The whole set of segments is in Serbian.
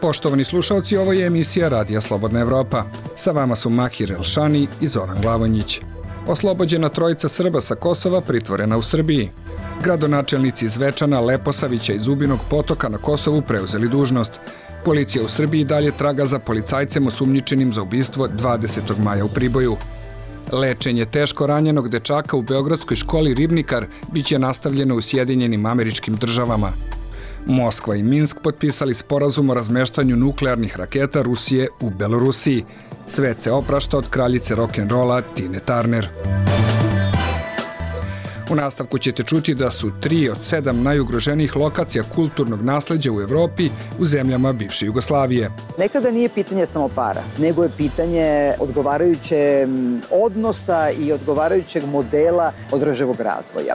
Poštovani slušalci, ovo je emisija Radija Slobodna Evropa. Sa vama su Mahir Elšani i Zoran Glavonjić. Oslobođena trojica Srba sa Kosova pritvorena u Srbiji. Gradonačelnici Zvečana, Leposavića i Zubinog Potoka na Kosovu preuzeli dužnost. Policija u Srbiji dalje traga za policajcem osumnjičenim za ubistvo 20. maja u Priboju. Lečenje teško ranjenog dečaka u beogradskoj školi Ribnikar biće nastavljeno u Sjedinjenim Američkim Državama. Moskva i Minsk potpisali sporazum o razmeštanju nuklearnih raketa Rusije u Belorusiji. Svet se oprašta od kraljice rock'n'rolla Tine Turner. U nastavku ćete čuti da su 3 od 7 najugroženijih lokacija kulturnog nasleđa u Evropi u zemljama bivše Jugoslavije. Nekada nije pitanje samo para, nego je pitanje odgovarajuće odnosa i odgovarajućeg modela održivog razvoja.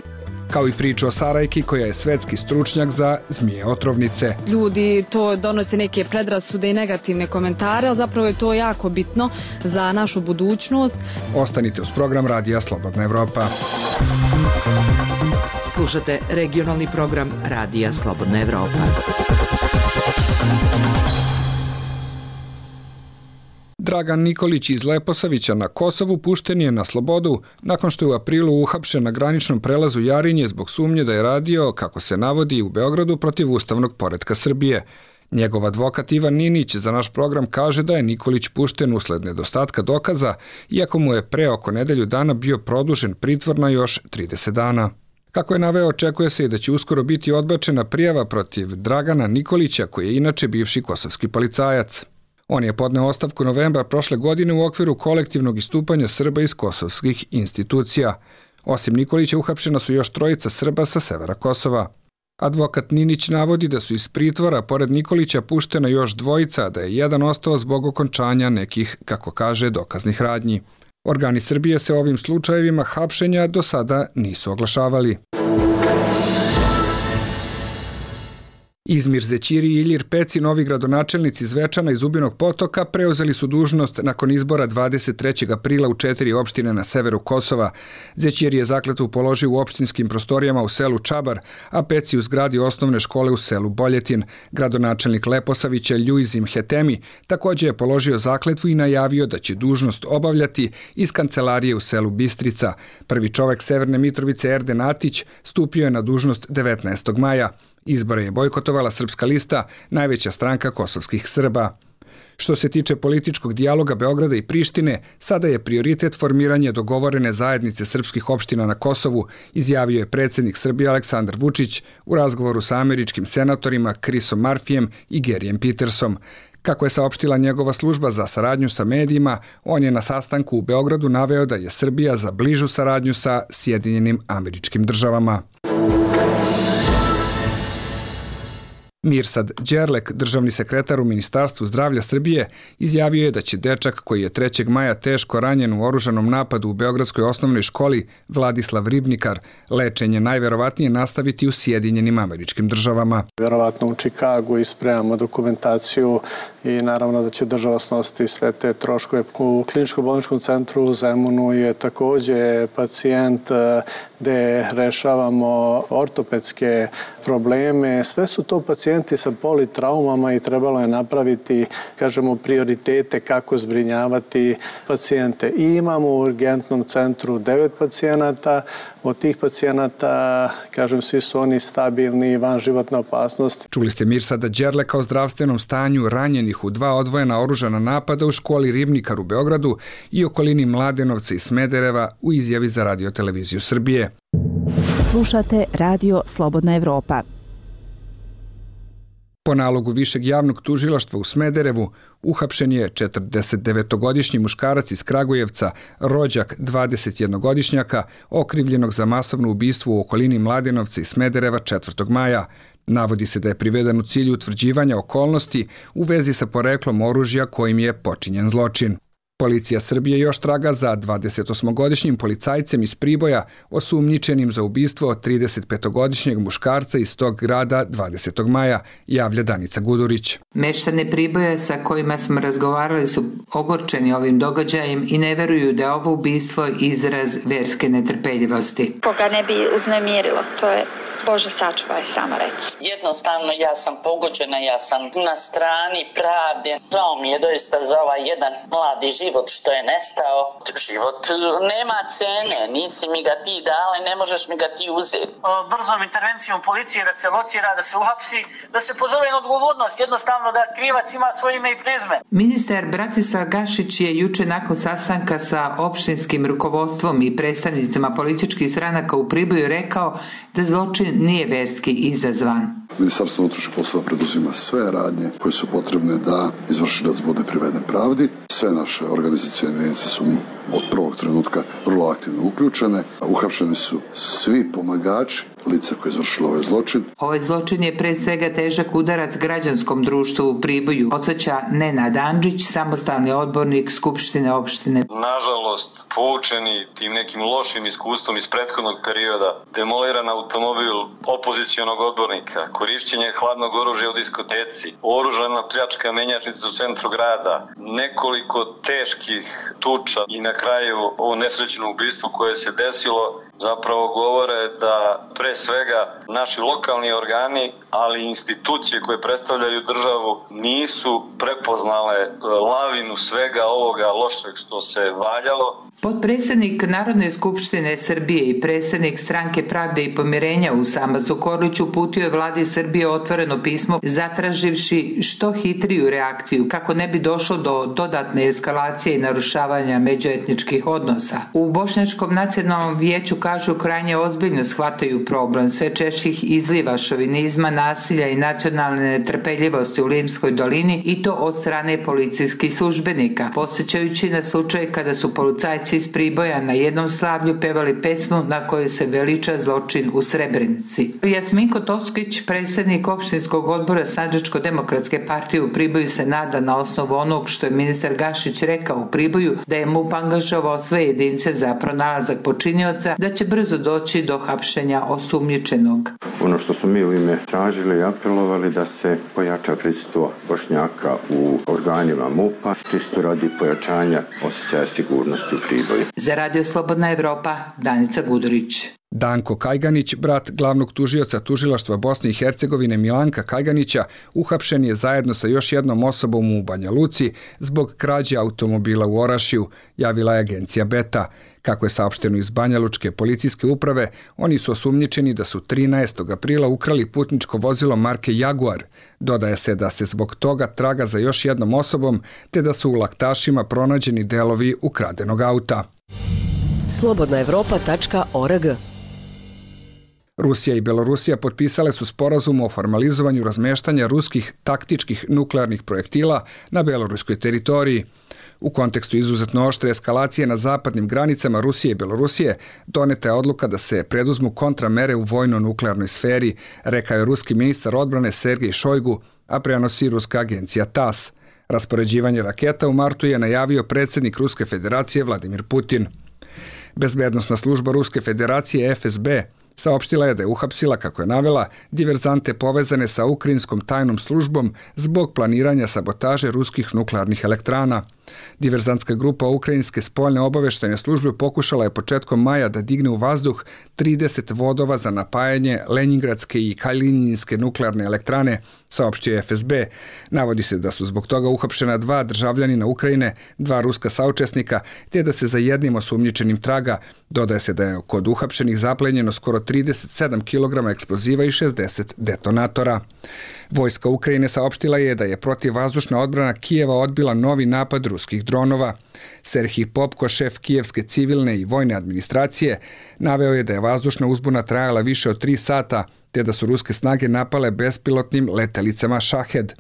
Kao i priča o Sarajki koja je svetski stručnjak za zmije otrovnice. Ljudi to donose neke predrasude i negativne komentare, ali zapravo je to jako bitno za našu budućnost. Ostanite uz program Radija Slobodna Evropa. Slušate regionalni program Radija Slobodna Evropa. Dragan Nikolić iz Leposavića na Kosovu pušten je na slobodu nakon što je u aprilu uhapšen na graničnom prelazu Jarinje zbog sumnje da je radio, kako se navodi, u Beogradu protiv ustavnog poretka Srbije. Njegov advokat Ivan Ninić za naš program kaže da je Nikolić pušten usled nedostatka dokaza, iako mu je pre oko nedelju dana bio produžen pritvor na još 30 dana. Kako je naveo, očekuje se i da će uskoro biti odbačena prijava protiv Dragana Nikolića, koji je inače bivši kosovski policajac. On je podneo ostavku novembra prošle godine u okviru kolektivnog istupanja Srba iz kosovskih institucija. Osim Nikolića uhapšena su još trojica Srba sa severa Kosova. Advokat Ninić navodi da su iz pritvora pored Nikolića puštena još dvojica, a da je jedan ostao zbog okončanja nekih, kako kaže, dokaznih radnji. Organi Srbije se ovim slučajevima hapšenja do sada nisu oglašavali. Izmir Zećiri i Ilir Peci, novi gradonačelnici Zvečana i Zubinog Potoka, preuzeli su dužnost nakon izbora 23. aprila u 4 opštine na severu Kosova. Zećiri je zakletvu položio u opštinskim prostorijama u selu Čabar, a Peci u zgradi osnovne škole u selu Boljetin. Gradonačelnik Leposavića Ljuizim Hetemi također je položio zakletvu i najavio da će dužnost obavljati iz kancelarije u selu Bistrica. Prvi čovek Severne Mitrovice Erden Atić stupio je na dužnost 19. maja. Izbore je bojkotovala Srpska lista, najveća stranka kosovskih Srba. Što se tiče političkog dijaloga Beograda i Prištine, sada je prioritet formiranje dogovorene zajednice srpskih opština na Kosovu, izjavio je predsjednik Srbije Aleksandar Vučić u razgovoru sa američkim senatorima Chrisom Murphyjem i Garyjem Petersom. Kako je saopštila njegova služba za saradnju sa medijima, on je na sastanku u Beogradu naveo da je Srbija za bližu saradnju sa Sjedinjenim Američkim Državama. Mirsad Đerlek, državni sekretar u Ministarstvu zdravlja Srbije, izjavio je da će dečak koji je 3. maja teško ranjen u oružanom napadu u beogradskoj osnovnoj školi Vladislav Ribnikar lečenje najverovatnije nastaviti u Sjedinjenim Američkim Državama. Verovatno u Čikagu i spremamo dokumentaciju i naravno da će država snositi sve te troškove. U kliničko-bolničkom centru u Zemunu je također pacijent gde rešavamo ortopedske probleme. Sve su to pacijenti sa politraumama i trebalo je napraviti, kažemo, prioritete kako zbrinjavati pacijente. I imamo u urgentnom centru 9 pacijenata. Od tih pacijenata, kažem, svi su oni stabilni i van životne opasnosti. Čuli ste Mirsada Đerleka o zdravstvenom stanju ranjenih u 2 odvojena oružana napada u školi Ribnikar u Beogradu i okolini Mladenovca i Smedereva u izjavi za Radio-televiziju Srbije. Slušate Radio Slobodna Evropa. Po nalogu Višeg javnog tužilaštva u Smederevu uhapšen je 49-godišnji muškarac iz Kragujevca, rođak 21-godišnjaka, okrivljenog za masovno ubistvo u okolini Mladenovca i Smedereva 4. maja. Navodi se da je priveden u cilju utvrđivanja okolnosti u vezi sa poreklom oružja kojim je počinjen zločin. Policija Srbije još traga za 28-godišnjim policajcem iz Priboja osumnjičenim za ubistvo 35-godišnjeg muškarca iz tog grada 20. maja, javlja Danica Gudurić. Meštani Priboja sa kojima smo razgovarali su ogorčeni ovim događajem i ne veruju da je ovo ubistvo izraz verske netrpeljivosti. Koga ne bi uznemirilo, to je Bože sačuvaj, samo reći. Jednostavno ja sam pogođena, ja sam na strani pravde. Žao mi je doista za ovaj jedan mladi život što je nestao. Život nema cene, nisi mi ga ti dala i ne možeš mi ga ti uzeti. Brzom intervencijom policije da se locira, da se uhapsi, da se pozove na odgovornost, jednostavno da krivac ima svoje ime i prezime. Ministar Bratislav Gašić je juče nakon sastanka sa opštinskim rukovodstvom i predstavnicima političkih stranaka u Priboju rekao da zločin nije verski izazvan. Ministarstvo unutrašnjih poslova preduzima sve radnje koje su potrebne da izvršilac bude priveden pravdi. Sve naše organizacione jedinice su od prvog trenutka vrlo aktivno uključene. Uhapšeni su svi pomagači lica koje je izvršilo ovaj zločin. Ovaj zločin je pred svega težak udarac građanskom društvu u Priboju, podsjeća Nenad Andžić, samostalni odbornik Skupštine opštine. Nažalost, poučeni tim nekim lošim iskustvom iz prethodnog perioda, demoliran automobil opozicionog odbornika, korišćenje hladnog oružja u diskoteci, oružana pljačka menjačnice u centru grada, nekoliko teških tuča i na kraju ovo nesrećno ubistvo koje se desilo zapravo govore da pre svega naši lokalni organi, ali i institucije koje predstavljaju državu nisu prepoznale lavinu svega ovoga lošeg što se valjalo. Potpredsjednik Narodne skupštine Srbije i predsjednik Stranke pravde i pomirenja Usama Zukorlić uputio je vladi Srbije otvoreno pismo zatraživši što hitriju reakciju kako ne bi došlo do dodatne eskalacije i narušavanja međuetničkih odnosa. U Bošnjačkom nacionalnom vijeću kažu krajnje ozbiljno shvataju problem sve češćih izliva šovinizma, nasilja i nacionalne netrpeljivosti u Limskoj dolini i to od strane policijskih službenika, podsjećajući na slučaj kada su policajci iz Priboja na jednom slavlju pevali pesmu na kojoj se veliča zločin u Srebrenici. Jasminko Toskić, predsjednik opštinskog odbora Sandžačko-demokratske partije u Priboju, se nada na osnovu onog što je ministar Gašić rekao u Priboju da je MUP angažovao sve jedinice za pronalazak počinioca, da će brzo doći do hapšenja osumnjičenog. Ono što smo mi u ime tražili i apelovali da se pojača prisustvo Bošnjaka u organima MUP-a, čisto radi pojačanja osjećaja sigurnosti u Priboju. Za Radio Slobodna Evropa, Danica Gudurić. Danko Kajganić, brat glavnog tužioca tužilaštva Bosne i Hercegovine Milanka Kajganića, uhapšen je zajedno sa još jednom osobom u Banja Luci zbog krađe automobila u Orašiju, javila je agencija Beta. Kako je saopšteno iz Banja Lučke policijske uprave, oni su osumnjičeni da su 13. aprila ukrali putničko vozilo marke Jaguar. Dodaje se da se zbog toga traga za još jednom osobom, te da su u laktašima pronađeni delovi ukradenog auta. Slobodnaevropa.org. Rusija i Belorusija potpisale su sporazum o formalizovanju razmeštanja ruskih taktičkih nuklearnih projektila na beloruskoj teritoriji. U kontekstu izuzetno oštre eskalacije na zapadnim granicama Rusije i Belorusije doneta je odluka da se preduzmu kontramere u vojno-nuklearnoj sferi, rekao je ruski ministar odbrane Sergej Šojgu, a prenosi ruska agencija TASS. Raspoređivanje raketa u martu je najavio predsjednik Ruske federacije Vladimir Putin. Bezbednosna služba Ruske federacije FSB saopštila je da je uhapsila, kako je navela, diverzante povezane sa ukrajinskom tajnom službom zbog planiranja sabotaže ruskih nuklearnih elektrana. Diverzantska grupa ukrajinske spoljne obaveštajne službe pokušala je početkom maja da digne u vazduh 30 vodova za napajanje Lenjingradske i Kalininske nuklearne elektrane, saopštio je FSB. Navodi se da su zbog toga uhapšena 2 državljanina Ukrajine, 2 ruska saučesnika, te da se za jednim osumnjičenim traga. Dodaje se da je kod uhapšenih zaplenjeno skoro 37 kg eksploziva i 60 detonatora. Vojska Ukrajine saopštila je da je protivvazdušna odbrana Kijeva odbila novi napad ruskih dronova. Serhij Popko, šef kijevske civilne i vojne administracije, naveo je da je vazdušna uzbuna trajala više od 3 sata, te da su ruske snage napale bespilotnim letelicama Shahed.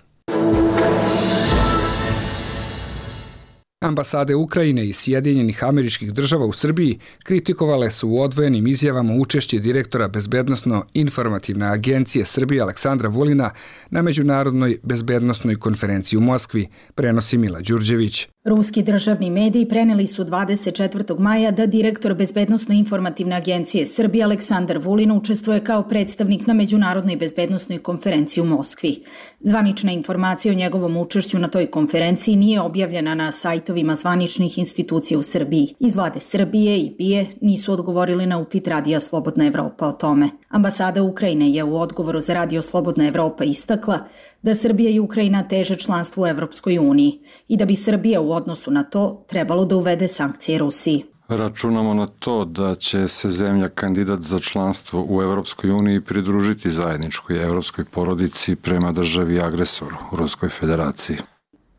Ambasade Ukrajine i Sjedinjenih Američkih Država u Srbiji kritikovale su u odvojenim izjavama učešće direktora Bezbednosno-informativne agencije Srbije Aleksandra Vulina na Međunarodnoj bezbednosnoj konferenciji u Moskvi, prenosi Mila Đurđević. Ruski državni mediji preneli su 24. maja da direktor Bezbednosno-informativne agencije Srbije Aleksandar Vulin učestvuje kao predstavnik na Međunarodnoj bezbednosnoj konferenciji u Moskvi. Zvanična informacija o njegovom učešću na toj konferenciji nije objavljena na sajtovima zvaničnih institucija u Srbiji. Iz vlade Srbije i BIA nisu odgovorili na upit Radija Slobodna Evropa o tome. Ambasada Ukrajine je u odgovoru za Radio Slobodna Evropa istakla da Srbija i Ukrajina teže članstvu u Evropskoj uniji i da bi Srbija u odnosu na to trebalo da uvede sankcije Rusiji. Računamo na to da će se zemlja kandidat za članstvo u Evropskoj uniji pridružiti zajedničkoj evropskoj porodici prema državi agresoru, Ruskoj federaciji.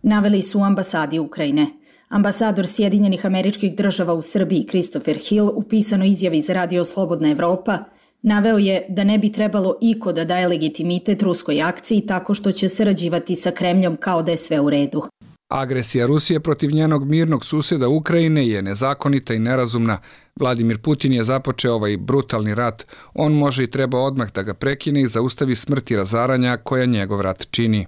Naveli su u ambasadi Ukrajine. Ambasador Sjedinjenih Američkih Država u Srbiji Christopher Hill u pisanoj izjavi za Radio Slobodna Evropa naveo je da ne bi trebalo iko da daje legitimitet ruskoj akciji tako što će sarađivati sa Kremljom kao da je sve u redu. Agresija Rusije protiv njenog mirnog susjeda Ukrajine je nezakonita i nerazumna. Vladimir Putin je započeo ovaj brutalni rat. On može i treba odmah da ga prekine i zaustavi smrt i razaranja koja njegov rat čini.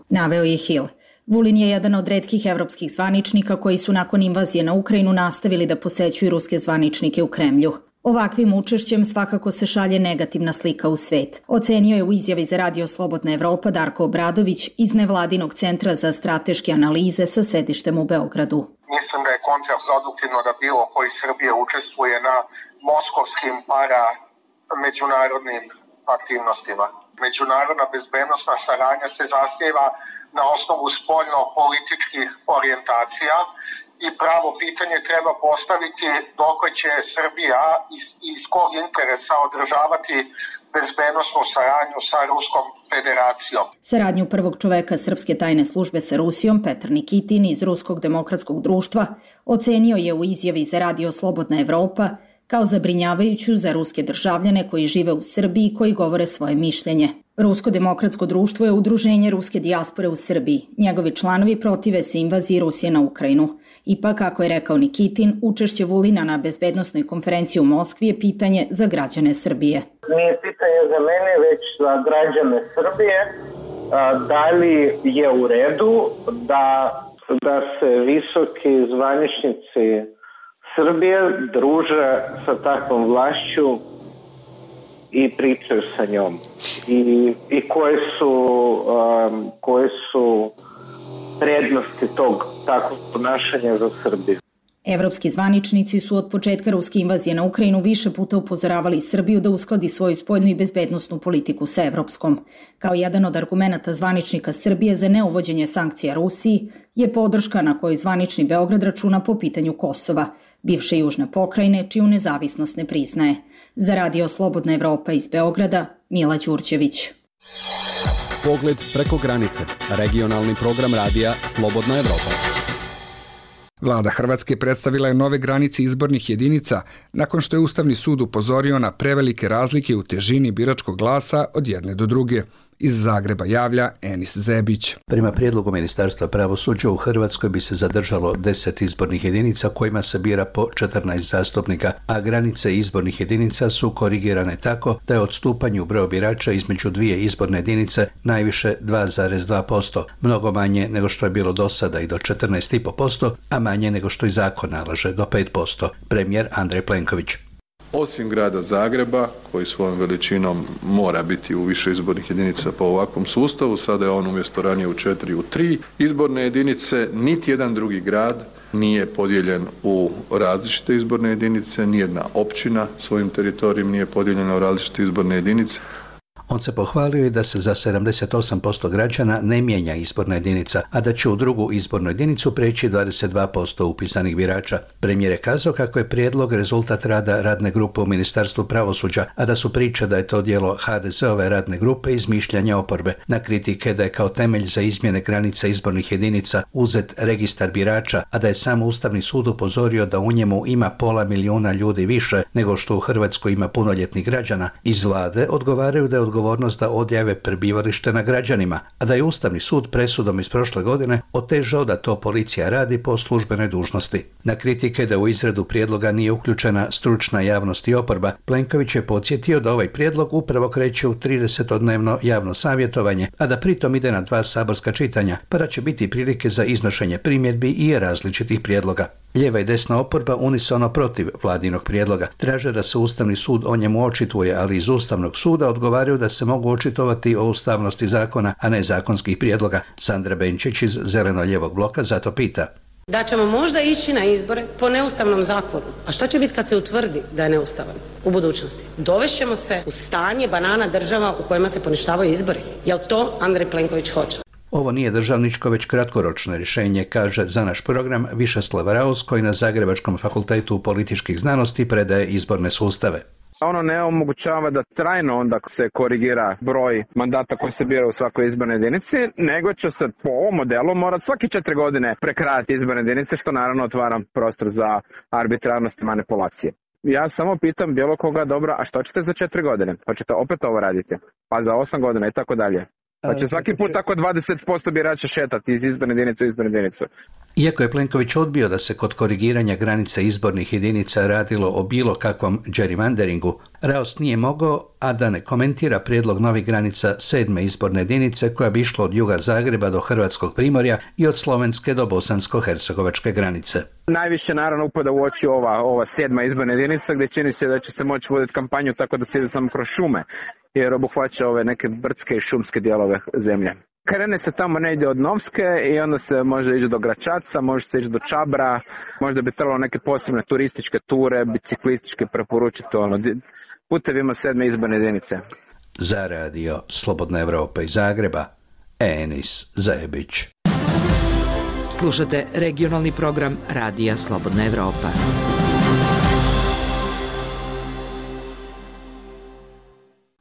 Naveo je Hill. Vulin je jedan od retkih evropskih zvaničnika koji su nakon invazije na Ukrajinu nastavili da posećuju ruske zvaničnike u Kremlju. Ovakvim učešćem svakako se šalje negativna slika u svet. Ocenio je u izjavi za Radio Slobodna Evropa Darko Obradović iz Nevladinog centra za strateške analize sa sedištem u Beogradu. Mislim da je kontraproduktivno da bilo koji Srbije učestvuje na moskovskim međunarodnim aktivnostima. Međunarodna bezbednosna saradnja se zasniva na osnovu spoljno-političkih orijentacija i pravo pitanje treba postaviti dok će Srbija iz kog interesa održavati bezbednosnu saradnju sa Ruskom federacijom. Saradnju prvog čoveka srpske tajne službe sa Rusijom, Petar Nikitin iz Ruskog demokratskog društva, ocenio je u izjavi za Radio Slobodna Evropa kao zabrinjavajuću za ruske državljane koji žive u Srbiji i koji govore svoje mišljenje. Rusko demokratsko društvo je udruženje ruske dijaspore u Srbiji. Njegovi članovi protive se invaziji Rusije na Ukrajinu. Ipak, kako je rekao Nikitin, učešće Vulina na bezbednosnoj konferenciji u Moskvi je pitanje za građane Srbije. Nije pitanje za mene, već za građane Srbije. Da li je u redu da se visoki zvaničnici Srbije druže sa takvom vlašću i pričaju sa njom i koje su prednosti tog takvog ponašanja za Srbiju. Evropski zvaničnici su od početka ruske invazije na Ukrajinu više puta upozoravali Srbiju da uskladi svoju spoljnu i bezbednosnu politiku sa evropskom. Kao jedan od argumenata zvaničnika Srbije za neuvođenje sankcija Rusiji je podrška na kojoj zvanični Beograd računa po pitanju Kosova, bivše južne pokrajine, čiju nezavisnost ne priznaje. Za Radio Slobodna Evropa iz Beograda, Mila Đurđević. Pogled preko granice. Regionalni program radija Slobodna Evropa. Vlada Hrvatske predstavila je nove granice izbornih jedinica nakon što je Ustavni sud upozorio na prevelike razlike u težini biračkog glasa od jedne do druge. Iz Zagreba javlja Enis Zebić. Prema prijedlogu Ministarstva pravosuđa u Hrvatskoj bi se zadržalo 10 izbornih jedinica kojima se bira po 14 zastupnika, a granice izbornih jedinica su korigirane tako da je odstupanje u broju birača između dvije izborne jedinice najviše 2,2%, mnogo manje nego što je bilo do sada i do 14,5%, a manje nego što i zakon nalaže do 5%. Premijer Andrej Plenković. Osim grada Zagreba, koji svojom veličinom mora biti u više izbornih jedinica po ovakvom sustavu, sada je on umjesto ranije u 4 u 3 izborne jedinice, niti jedan drugi grad nije podijeljen u različite izborne jedinice, nijedna općina svojim teritorijem nije podijeljena u različite izborne jedinice. On se pohvalio i da se za 78% građana ne mijenja izborna jedinica, a da će u drugu izbornu jedinicu preći 22% upisanih birača. Premijer je kazao kako je prijedlog rezultat rada radne grupe u Ministarstvu pravosuđa, a da su priče da je to djelo HDZ-ove radne grupe izmišljanja oporbe. Na kritike da je kao temelj za izmjene granica izbornih jedinica uzet registar birača, a da je sam Ustavni sud upozorio da u njemu ima 500 000 ljudi više nego što u Hrvatskoj ima punoljetnih građana, iz vlade odgovaraju da je odgovornost da odjave prebivalište na građanima, a da je Ustavni sud presudom iz prošle godine otežao da to policija radi po službenoj dužnosti. Na kritike da u izradu prijedloga nije uključena stručna javnost i oporba, Plenković je podsjetio da ovaj prijedlog upravo kreće u 30-dnevno javno savjetovanje, a da pritom ide na 2 saborska čitanja, pa da će biti prilike za iznošenje primjedbi i različitih prijedloga. Lijeva i desna oporba unisono protiv vladinog prijedloga. Traže da se Ustavni sud o njemu očituje, ali iz Ustavnog suda odgovaraju da se mogu očitovati o ustavnosti zakona, a ne zakonskih prijedloga. Sandra Benčić iz Zeleno-lijevog bloka zato pita: da ćemo možda ići na izbore po neustavnom zakonu. A šta će biti kad se utvrdi da je neustavan u budućnosti? Dovešćemo se u stanje banana država u kojima se poništavaju izbori. Jel to Andrej Plenković hoće? Ovo nije državničko, već kratkoročno rješenje, kaže za naš program Višeslav Raus, koji na Zagrebačkom fakultetu političkih znanosti predaje izborne sustave. Ono ne omogućava da trajno onda se korigira broj mandata koji se bira u svakoj izbornoj jedinici, nego će se po ovom modelu morati svake 4 godine prekrajati izborne jedinice, što naravno otvara prostor za arbitrarnost i manipulacije. Ja samo pitam bilo koga, dobro, a što ćete za 4 godine? Hoćete opet ovo raditi? Pa za 8 godina i tako dalje. Pa će svaki put tako 20% birača šetati iz izborne jedinice u izbornu jedinicu. Iako je Plenković odbio da se kod korigiranja granica izbornih jedinica radilo o bilo kakvom gerrymanderingu, Raos nije mogao, a da ne komentira prijedlog novih granica 7. izborne jedinice koja bi išla od juga Zagreba do Hrvatskog Primorja i od slovenske do bosansko-hercegovačke granice. Najviše naravno upada u oči ova 7. izborna jedinica, gdje čini se da će se moći voditi kampanju tako da se ide samo kroz šume, jer obuhvaća ove neke brdske i šumske dijelove zemlje. Krene se tamo negdje od Novske i onda se može ići do Gračaca, može se ići do Čabra, možda bi trebalo neke posebne turističke ture, biciklističke preporučiti putevima 7. izborne jedinice. Za radio Slobodna Evropa iz Zagreba, Enis Zajebić. Slušate regionalni program Radija Slobodna Evropa.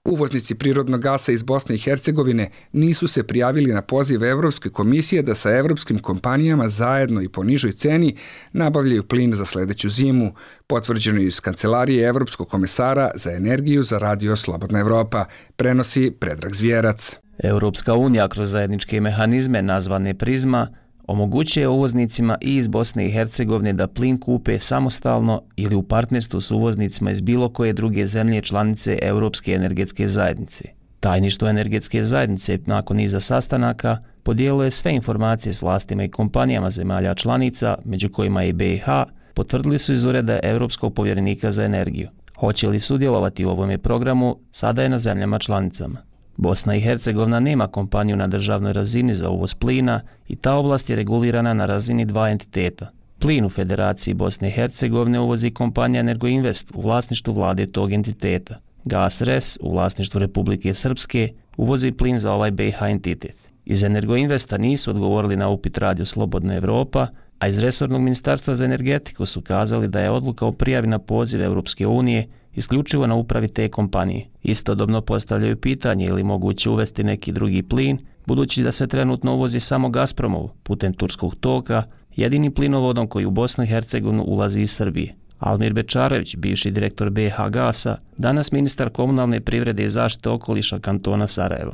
Uvoznici prirodnog gasa iz Bosne i Hercegovine nisu se prijavili na poziv Evropske komisije da sa evropskim kompanijama zajedno i po nižoj ceni nabavljaju plin za sledeću zimu, potvrđeno iz Kancelarije Evropskog komesara za energiju za radio Slobodna Evropa, prenosi Predrag Zvjerac. Europska unija kroz zajedničke mehanizme nazvane Prizma omogućuje uvoznicima i iz Bosne i Hercegovine da plin kupe samostalno ili u partnerstvu s uvoznicima iz bilo koje druge zemlje članice Europske energetske zajednice. Tajništvo energetske zajednice nakon niza sastanaka podijelilo je sve informacije s vlastima i kompanijama zemalja članica, među kojima i BiH, potvrdili su iz ureda Europskog povjerenika za energiju. Hoće li sudjelovati u ovome programu, sada je na zemljama članicama. Bosna i Hercegovina nema kompaniju na državnoj razini za uvoz plina i ta oblast je regulirana na razini 2 entiteta. Plin u Federaciji Bosne i Hercegovine uvozi kompanija Energoinvest u vlasništvu vlade tog entiteta. GasRes u vlasništvu Republike Srpske uvozi plin za ovaj BiH entitet. Iz Energoinvesta nisu odgovorili na upit Radio Slobodna Evropa, a iz resornog ministarstva za energetiku su kazali da je odluka o prijavi na poziv Europske unije isključivo na upravi te kompanije. Istodobno postavljaju pitanje ili moguće uvesti neki drugi plin, budući da se trenutno uvozi samo Gazpromov putem turskog toka, jedini plinovodom koji u Bosnu i Hercegovinu ulazi iz Srbije. Almir Bečarević, bivši direktor BiH Gasa, danas ministar komunalne privrede i zaštite okoliša kantona Sarajevo.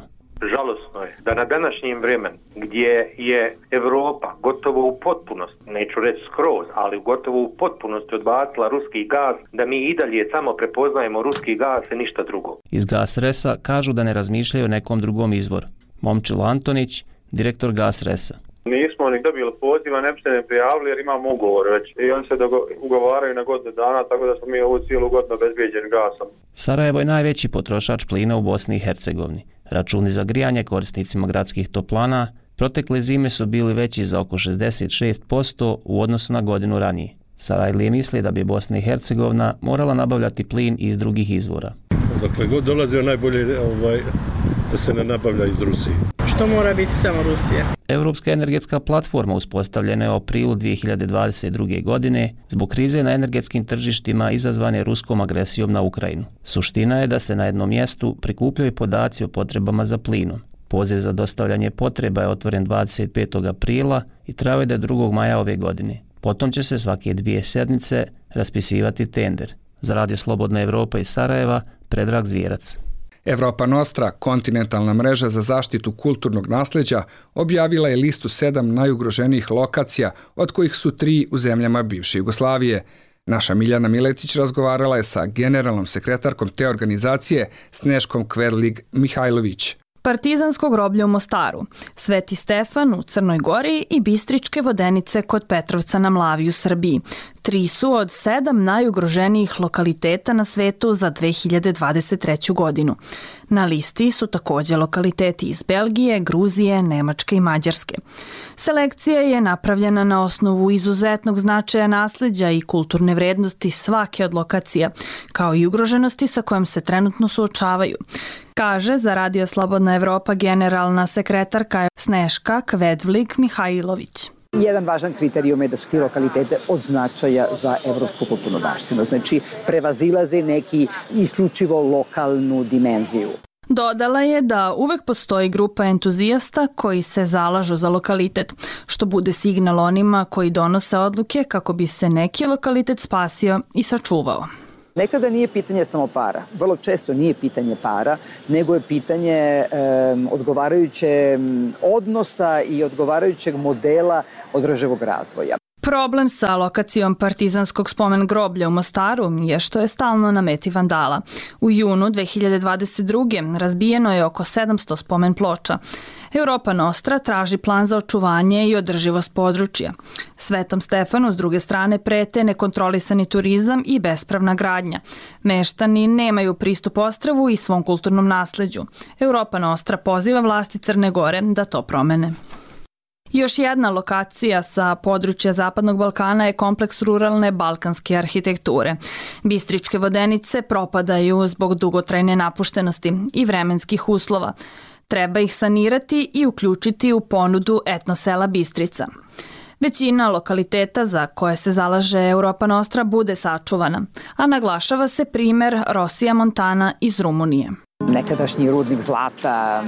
Žalosno je da na današnjem vremenu gdje je Evropa gotovo u potpunosti, neću reći skroz, ali gotovo u potpunosti odbacila ruski gaz, da mi i dalje samo prepoznajemo ruski gaz i ništa drugo. Iz GasResa kažu da ne razmišljaju o nekom drugom izvoru. Momčilo Antonić, direktor GasResa. Nismo ni dobili poziva, ne bi se ne prijavili jer imamo ugovor već i oni se ugovaraju na godinu dana, tako da smo mi ovu cijelu godinu obezbijeđeni gasom. Sarajevo je najveći potrošač plina u Bosni i Hercegovini. Računi za grijanje korisnicima gradskih toplana protekle zime su bili veći za oko 66% u odnosu na godinu ranije. Sarajlije misli da bi Bosna i Hercegovina morala nabavljati plin iz drugih izvora. Dokle god dolazio najbolje da se ne nabavlja iz Rusije. Što mora biti samo Rusija? Europska energetska platforma uspostavljena je u aprilu 2022. godine zbog krize na energetskim tržištima izazvane ruskom agresijom na Ukrajinu. Suština je da se na jednom mjestu prikupljaju podaci o potrebama za plinom. Poziv za dostavljanje potreba je otvoren 25. aprila i trajao je do 2. maja ove godine. Potom će se svake 2 sedmice raspisivati tender. Za Radio Slobodna Evropa iz Sarajeva, Predrag Zvjerac. Europa Nostra, kontinentalna mreža za zaštitu kulturnog nasleđa, objavila je listu 7 najugroženijih lokacija, od kojih su 3 u zemljama bivše Jugoslavije. Naša Miljana Miletić razgovarala je sa generalnom sekretarkom te organizacije Sneškom Kverlig-Mihajlović. Partizansko groblje u Mostaru, Sveti Stefan u Crnoj Gori i Bistričke vodenice kod Petrovca na Mlavi u Srbiji. 3 su od 7 najugroženijih lokaliteta na svetu za 2023. godinu. Na listi su također lokaliteti iz Belgije, Gruzije, Nemačke i Mađarske. Selekcija je napravljena na osnovu izuzetnog značaja nasleđa i kulturne vrednosti svake od lokacija, kao i ugroženosti sa kojom se trenutno suočavaju, kaže za Radio Slobodna Evropa generalna sekretarka Sneška Kvedvlig-Mihajlović. Jedan važan kriterijum je da su ti lokalitete od značaja za evropsku kulturnu baštinu, znači prevazilaze neki isključivo lokalnu dimenziju. Dodala je da uvek postoji grupa entuzijasta koji se zalažu za lokalitet, što bude signal onima koji donose odluke kako bi se neki lokalitet spasio i sačuvao. Nekada nije pitanje samo para, vrlo često nije pitanje para, nego je pitanje odgovarajuće odnosa i odgovarajućeg modela održivog razvoja. Problem sa lokacijom Partizanskog spomen groblja u Mostaru je što je stalno na meti vandala. U junu 2022. razbijeno je oko 700 spomen ploča. Europa Nostra traži plan za očuvanje i održivost područja. Svetom Stefanu s druge strane prete nekontrolisani turizam i bespravna gradnja. Meštani nemaju pristup ostrvu i svom kulturnom nasleđu. Europa Nostra poziva vlasti Crne Gore da to promene. Još jedna lokacija sa područja Zapadnog Balkana je kompleks ruralne balkanske arhitekture. Bistričke vodenice propadaju zbog dugotrajne napuštenosti i vremenskih uslova. Treba ih sanirati i uključiti u ponudu etnosela Bistrica. Većina lokaliteta za koje se zalaže Europa Nostra bude sačuvana, a naglašava se primer Rosija Montana iz Rumunije. Nekadašnji rudnik zlata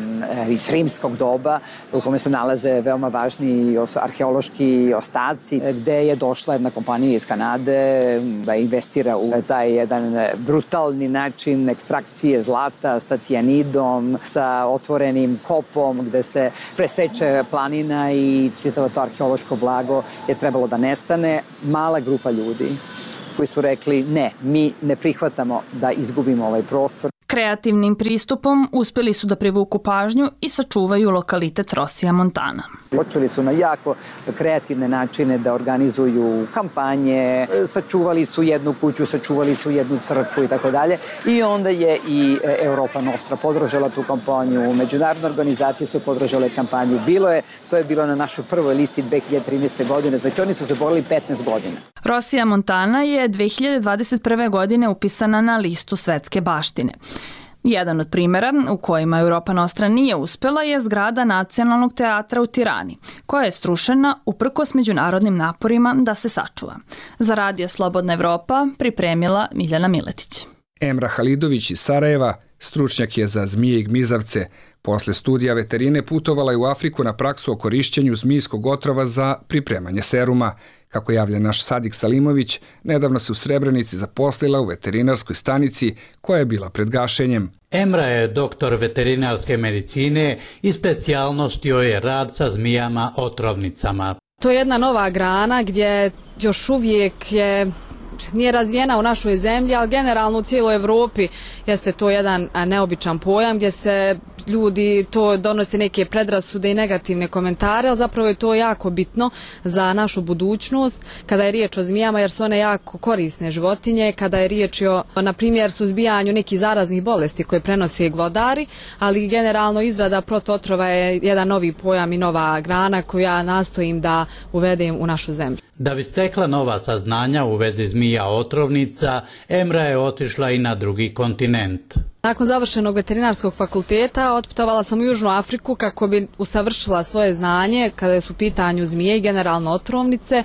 iz rimskog doba u kome se nalaze veoma važni arheološki ostaci, gde je došla jedna kompanija iz Kanade da investira u taj jedan brutalni način ekstrakcije zlata sa cijanidom, sa otvorenim kopom gde se preseče planina i čitavo to arheološko blago je trebalo da nestane. Mala grupa ljudi koji su rekli ne, mi ne prihvatamo da izgubimo ovaj prostor. Kreativnim pristupom uspjeli su da privuku pažnju i sačuvaju lokalitet Rosija Montana. Počeli su na jako kreativne načine da organizuju kampanje, sačuvali su jednu kuću, sačuvali su jednu crkvu i tako dalje. I onda je i Europa Nostra podržala tu kampanju, međunarodne organizacije su podržale kampanju. To je bilo na našoj prvoj listi 2013. godine, znači oni su se borili 15 godina. Rosija Montana je 2021. godine upisana na listu svetske baštine. Jedan od primjera u kojima Europa Nostra nije uspjela je zgrada Nacionalnog teatra u Tirani, koja je strušena uprkos međunarodnim naporima da se sačuva. Za Radio Slobodna Evropa pripremila Miljana Miletić. Emra Halidović iz Sarajeva, stručnjak je za zmije i gmizavce. Posle studija veterine putovala je u Afriku na praksu o korišćenju zmijskog otrova za pripremanje seruma. Kako javlja naš Sadik Salimović, nedavno se u Srebrenici zaposlila u veterinarskoj stanici koja je bila pred gašenjem. Emra je doktor veterinarske medicine i specijalnost joj je rad sa zmijama otrovnicama. To je jedna nova grana gdje još uvijek nije razvijena u našoj zemlji, ali generalno u cijeloj Evropi jeste to jedan neobičan pojam gdje se ljudi to donose neke predrasude i negativne komentare, ali zapravo je to jako bitno za našu budućnost kada je riječ o zmijama jer su one jako korisne životinje, kada je riječ o, na primjer, suzbijanju nekih zaraznih bolesti koje prenose glodari, ali generalno izrada protuotrova je jedan novi pojam i nova grana koju ja nastojim da uvedem u našu zemlju. Da bi stekla nova saznanja u vezi zmija otrovnica, Emra je otišla i na drugi kontinent. Nakon završenog veterinarskog fakulteta otputovala sam u Južnu Afriku kako bi usavršila svoje znanje kada su u pitanju zmije i generalno otrovnice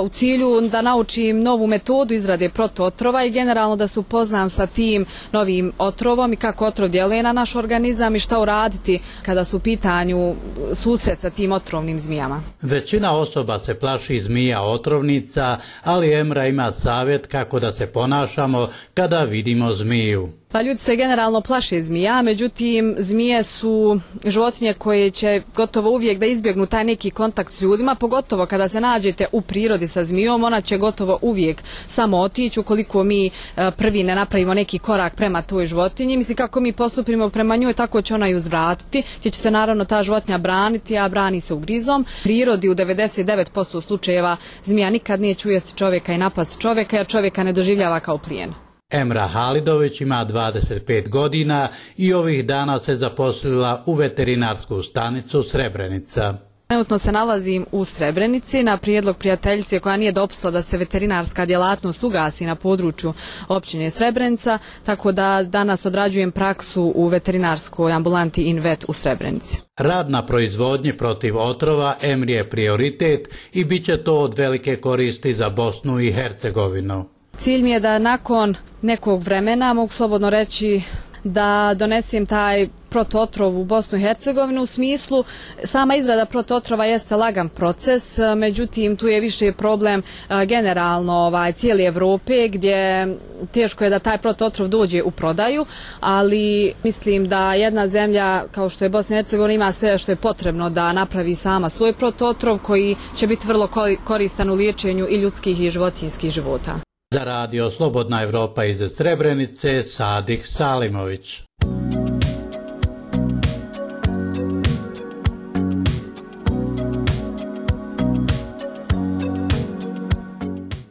u cilju da naučim novu metodu izrade protuotrova i generalno da se upoznam sa tim novim otrovom i kako otrov djeluje na naš organizam i šta uraditi kada su u pitanju susret sa tim otrovnim zmijama. Većina osoba se plaši zmija otrovnica, ali Emra ima savjet kako da se ponašamo kada vidimo zmiju. Pa ljudi se generalno plaše zmija, međutim zmije su životinje koje će gotovo uvijek da izbjegnu taj neki kontakt s ljudima, pogotovo kada se nađete u prirodi sa zmijom, ona će gotovo uvijek samo otići ukoliko mi prvi ne napravimo neki korak prema toj životinji. Mislim, kako mi postupimo prema njoj, tako će ona i uzvratiti, gdje će se naravno ta životinja braniti, a brani se ugrizom. U prirodi u 99% slučajeva zmija nikad nije ujesti čovjeka i napast čovjeka, jer čovjeka ne doživljava kao plijen. Emra Halidović ima 25 godina i ovih dana se zaposlila u veterinarsku stanicu Srebrenica. Trenutno se nalazim u Srebrenici na prijedlog prijateljice koja nije dopustila da se veterinarska djelatnost ugasi na području općine Srebrenica, tako da danas odrađujem praksu u veterinarskoj ambulanti Invet u Srebrenici. Rad na proizvodnji protiv otrova Emri je prioritet i bit će to od velike koristi za Bosnu i Hercegovinu. Cilj mi je da nakon nekog vremena, mogu slobodno reći, da donesem taj protuotrov u Bosnu i Hercegovinu. U smislu, sama izrada protuotrova jeste lagan proces, međutim tu je više problem generalno cijele Evrope, gdje teško je da taj protuotrov dođe u prodaju, ali mislim da jedna zemlja kao što je Bosna i Hercegovina ima sve što je potrebno da napravi sama svoj protuotrov koji će biti vrlo koristan u liječenju i ljudskih i životinjskih života. Za radio Slobodna Evropa iz Srebrenice, Sadih Salimović.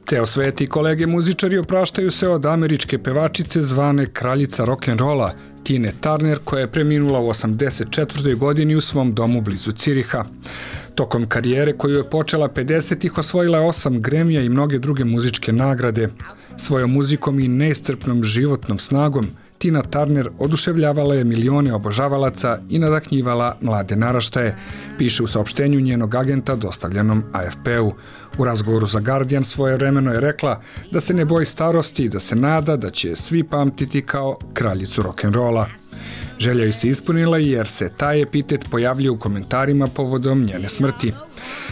Ceo svet i kolege muzičari opraštaju se od američke pevačice zvane kraljica rock'n'rolla, Tine Turner, koja je preminula u 84. godini u svom domu blizu Ciriha. Tokom karijere koju je počela 50-ih osvojila je 8 Grammy-a i mnoge druge muzičke nagrade. Svojom muzikom i neiscrpnom životnom snagom Tina Turner oduševljavala je milione obožavalaca i nadahnjivala mlade naraštaje, piše u saopštenju njenog agenta dostavljenom AFP-u. U razgovoru za Guardian svojevremeno je rekla da se ne boji starosti i da se nada da će svi pamtiti kao kraljicu rock'n'rolla. Želja ju se ispunila jer se taj epitet pojavljuje u komentarima povodom njene smrti.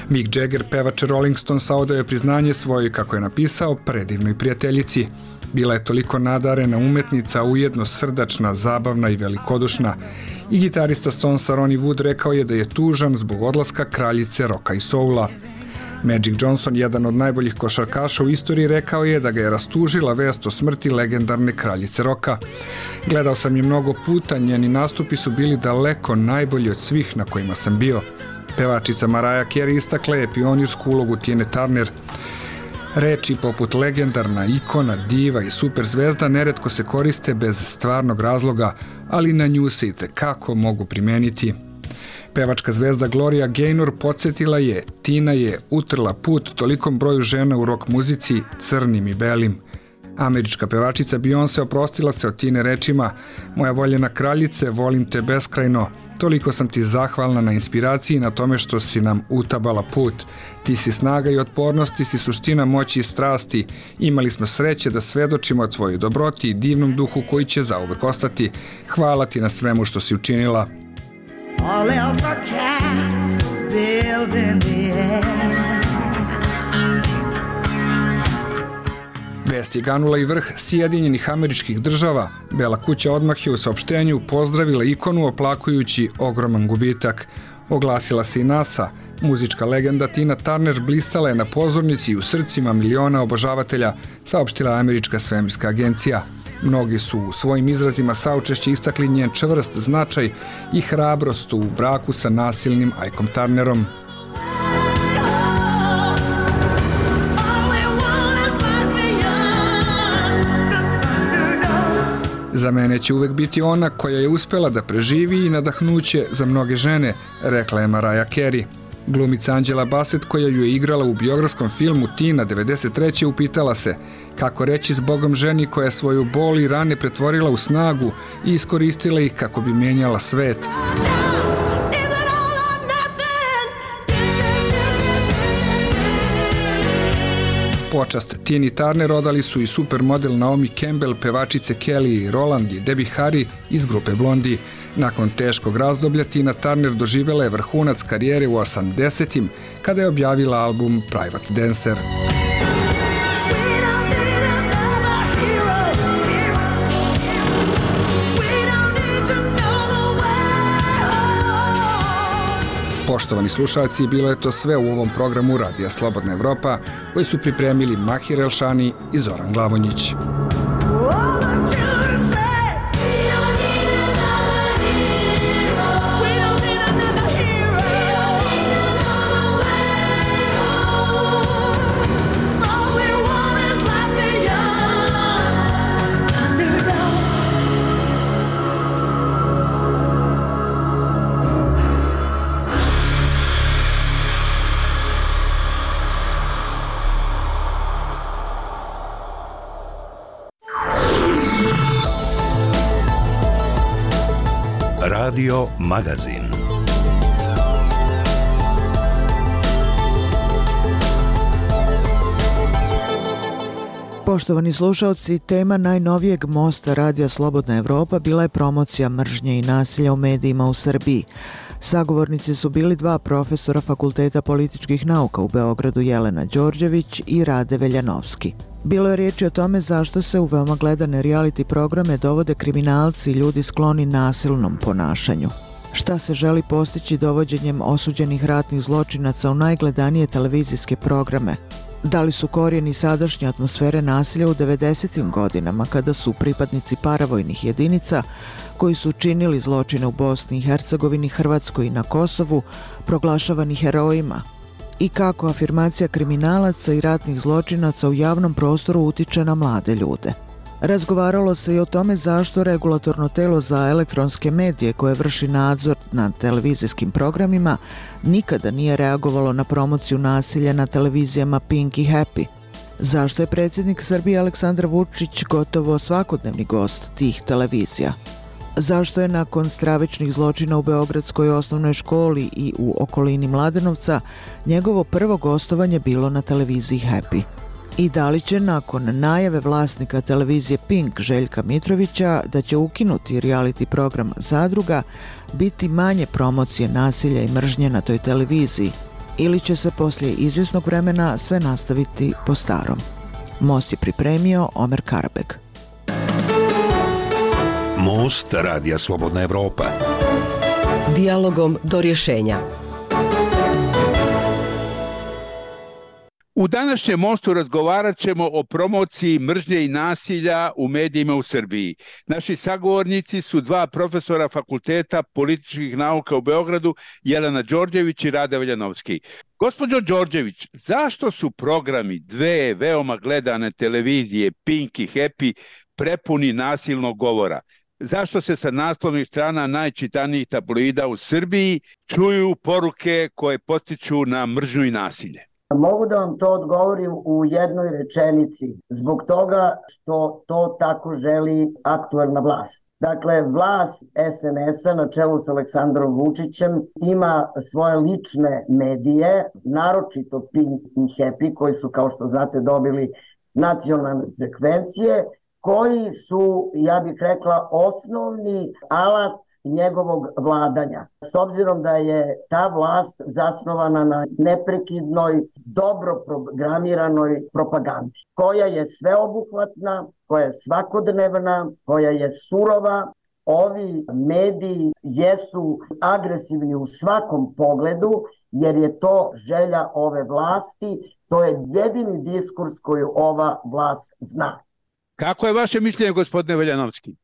Mick Jagger, pevač Rolling Stonesa, odao je priznanje svojoj, kako je napisao, predivnoj prijateljici. Bila je toliko nadarena umetnica, ujedno srdačna, zabavna i velikodušna. I gitarista Stonesa Ronnie Wood rekao je da je tužan zbog odlaska kraljice roka i soula. Magic Johnson, jedan od najboljih košarkaša u istoriji, rekao je da ga je rastužila vest o smrti legendarne kraljice roka. Gledao sam je mnogo puta, njeni nastupi su bili daleko najbolji od svih na kojima sam bio. Pevačica Mariah Carey istakla je pionirsku ulogu Tine Turner. Reči poput legendarna, ikona, diva i superzvezda neretko se koriste bez stvarnog razloga, ali na nju se i tekako mogu primeniti. Pevačka zvezda Gloria Gaynor podsjetila je, Tina je utrla put tolikom broju žena u rock muzici, crnim i belim. Američka pevačica Beyoncé oprostila se od Tine rečima: "Moja voljena kraljice, volim te beskrajno. Toliko sam ti zahvalna na inspiraciji i na tome što si nam utabala put. Ti si snaga i otpornost, ti si suština moći i strasti. Imali smo sreće da svedočimo tvojoj dobroti i divnom duhu koji će zauvek ostati. Hvala ti na svemu što si učinila." All else are castles built in the air. Vest je ganula i vrh Sjedinjenih Američkih Država. Bela kuća odmah je u saopštenju pozdravila ikonu oplakujući ogroman gubitak. Oglasila se i NASA. Muzička legenda Tina Turner blistala je na pozornici i u srcima miliona obožavatelja, saopštila Američka svemirska agencija. Mnogi su u svojim izrazima saučešće istakli njen čvrst značaj i hrabrost u braku sa nasilnim Ikom Turnerom. Za mene će uvek biti ona koja je uspela da preživi i nadahnuće za mnoge žene, rekla je Mariah Carey. Glumica Angela Bassett, koja ju je igrala u biografskom filmu Tina 93. upitala se kako reći s Bogom ženi koja je svoju bol i rane pretvorila u snagu i iskoristila ih kako bi menjala svet. Počast Tini Turner odali su i supermodel Naomi Campbell, pevačice Kelly Rowland i Debbie Harry iz grupe Blondie. Nakon teškog razdoblja Tina Turner doživjela je vrhunac karijere u 80-im kada je objavila album Private Dancer. Poštovani slušalci, bilo je to sve u ovom programu Radija Slobodna Evropa, koji su pripremili Mahir Elšani i Zoran Glavonjić. Radio Magazin. Poštovani slušalci, tema najnovijeg mosta Radija Slobodna Evropa bila je promocija mržnje i nasilja u medijima u Srbiji. Sagovornici su bili dva profesora Fakulteta političkih nauka u Beogradu, Jelena Đorđević i Rade Veljanovski. Bilo je riječi o tome zašto se u veoma gledane reality programe dovode kriminalci i ljudi skloni nasilnom ponašanju. Šta se želi postići dovođenjem osuđenih ratnih zločinaca u najgledanije televizijske programe? Da li su korijeni sadašnje atmosfere nasilja u 90. godinama kada su pripadnici paravojnih jedinica koji su činili zločine u Bosni i Hercegovini, Hrvatskoj i na Kosovu proglašavani herojima? I kako afirmacija kriminalaca i ratnih zločinaca u javnom prostoru utiče na mlade ljude? Razgovaralo se i o tome zašto regulatorno telo za elektronske medije koje vrši nadzor nad televizijskim programima nikada nije reagovalo na promociju nasilja na televizijama Pink i Happy. Zašto je predsjednik Srbije Aleksandar Vučić gotovo svakodnevni gost tih televizija? Zašto je nakon stravičnih zločina u Beogradskoj osnovnoj školi i u okolini Mladenovca njegovo prvo gostovanje bilo na televiziji Happy? I da li će nakon najave vlasnika televizije Pink Željka Mitrovića da će ukinuti reality program Zadruga biti manje promocije nasilja i mržnje na toj televiziji ili će se poslije izvjesnog vremena sve nastaviti po starom? Most je pripremio Omer Karabeg. Most Radija Slobodna Evropa. Dijalogom do rješenja. U današnjem mostu razgovarat ćemo o promociji mržnje i nasilja u medijima u Srbiji. Naši sagovornici su dva profesora Fakulteta političkih nauka u Beogradu, Jelena Đorđević i Rade Veljanovski. Gospođo Đorđević, zašto su programi dve veoma gledane televizije Pink i Happy prepuni nasilnog govora? Zašto se sa naslovnih strana najčitanijih tabloida u Srbiji čuju poruke koje potiču na mržnju i nasilje? Mogu da vam to odgovorim u jednoj rečenici, zbog toga što to tako želi aktuelna vlast. Dakle, vlast SNS-a na čelu s Aleksandrom Vučićem ima svoje lične medije, naročito Pink i Happy, koji su, kao što znate, dobili nacionalne frekvencije, koji su, ja bih rekla, osnovni alat njegovog vladanja. S obzirom da je ta vlast zasnovana na neprekidnoj, dobro programiranoj propagandi, koja je sveobuhvatna, koja je svakodnevna, koja je surova. Ovi mediji jesu agresivni u svakom pogledu, jer je to želja ove vlasti, to je jedini diskurs koju ova vlast zna. Kako je vaše mišljenje, gospodine Veljanovski?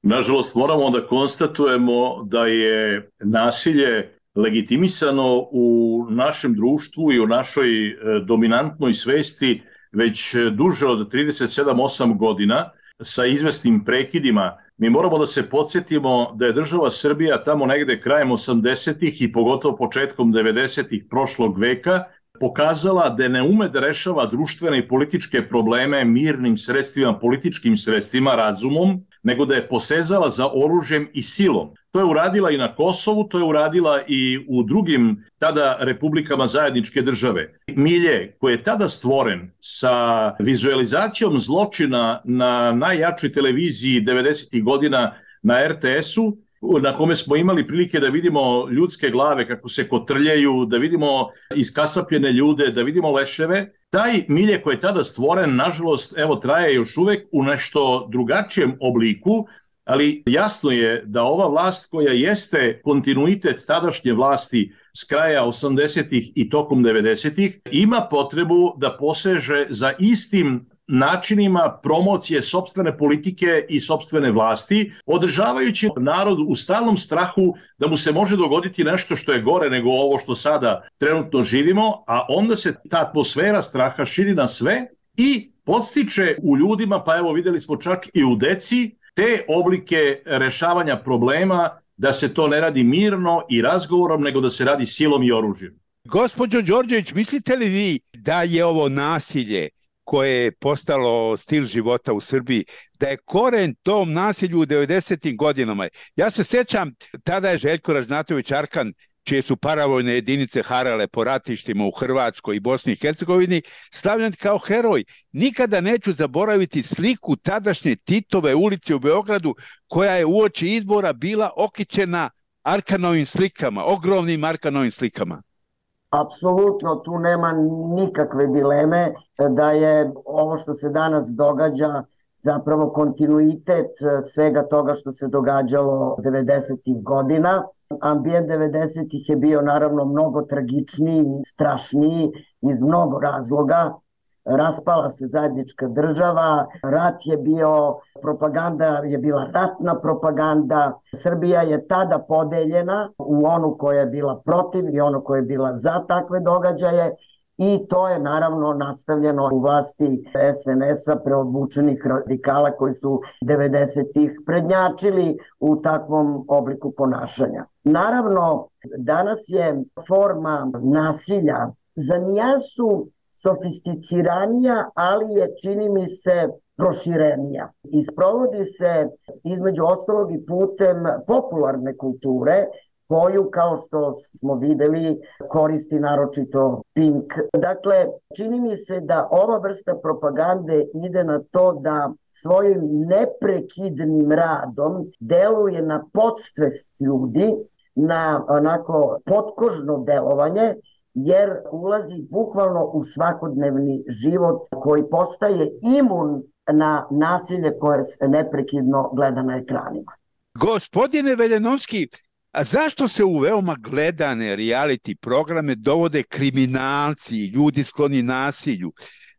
Nažalost, moramo da konstatujemo da je nasilje legitimisano u našem društvu i u našoj dominantnoj svesti već duže od 37-8 godina sa izvesnim prekidima. Mi moramo da se podsjetimo da je država Srbija tamo negde krajem 80-ih i pogotovo početkom 90-ih prošlog veka pokazala da ne ume da rešava društvene i političke probleme mirnim sredstvima, političkim sredstvima, razumom, nego da je posezala za oružjem i silom. To je uradila i na Kosovu, to je uradila i u drugim tada republikama zajedničke države. Milje koji je tada stvoren sa vizualizacijom zločina na najjačoj televiziji 90. godina na RTS-u, na kome smo imali prilike da vidimo ljudske glave kako se kotrljaju, da vidimo iskasapljene ljude, da vidimo leševe. Taj milje koji je tada stvoren, nažalost, evo, traje još uvek u nešto drugačijem obliku, ali jasno je da ova vlast koja jeste kontinuitet tadašnje vlasti s kraja 80-ih i tokom 90-ih ima potrebu da poseže za istim načinima promocije sopstvene politike i sopstvene vlasti, održavajući narod u stalnom strahu da mu se može dogoditi nešto što je gore nego ovo što sada trenutno živimo, a onda se ta atmosfera straha širi na sve i podstiče u ljudima, pa evo videli smo čak i u deci, te oblike rešavanja problema, da se to ne radi mirno i razgovorom, nego da se radi silom i oružjem. Gospođo Đorđević, mislite li vi da je ovo nasilje koje je postalo stil života u Srbiji, da je koren tom nasilju u 90. godinama? Ja se sjećam, tada je Željko Ražnatović Arkan, čije su paravojne jedinice harale po ratištima u Hrvatskoj i Bosni i Hercegovini, slavljen kao heroj. Nikada neću zaboraviti sliku tadašnje Titove ulice u Beogradu, koja je uoči izbora bila okićena Arkanovim slikama, ogromnim Arkanovim slikama. Apsolutno, tu nema nikakve dileme da je ovo što se danas događa zapravo kontinuitet svega toga što se događalo 90. godina. Ambijent 90-ih je bio naravno mnogo tragičniji, strašniji iz mnogo razloga. Raspala se zajednička država, rat je bio, propaganda je bila ratna propaganda. Srbija je tada podeljena u onu koja je bila protiv i onu koja je bila za takve događaje i to je naravno nastavljeno u vlasti SNS-a, preobučenih radikala koji su 90-ih prednjačili u takvom obliku ponašanja. Naravno, danas je forma nasilja za nijansu sofisticiranija, ali je, čini mi se, proširenija. I sprovodi se između ostalog i putem popularne kulture, koju, kao što smo videli, koristi naročito Pink. Dakle, čini mi se da ova vrsta propagande ide na to da svojim neprekidnim radom deluje na podsvest ljudi, na onako potkožno delovanje, jer ulazi bukvalno u svakodnevni život koji postaje imun na nasilje koje se neprekidno gleda na ekranima. Gospodine Veljanovski, a zašto se u veoma gledane reality programe dovode kriminalci i ljudi skloni nasilju?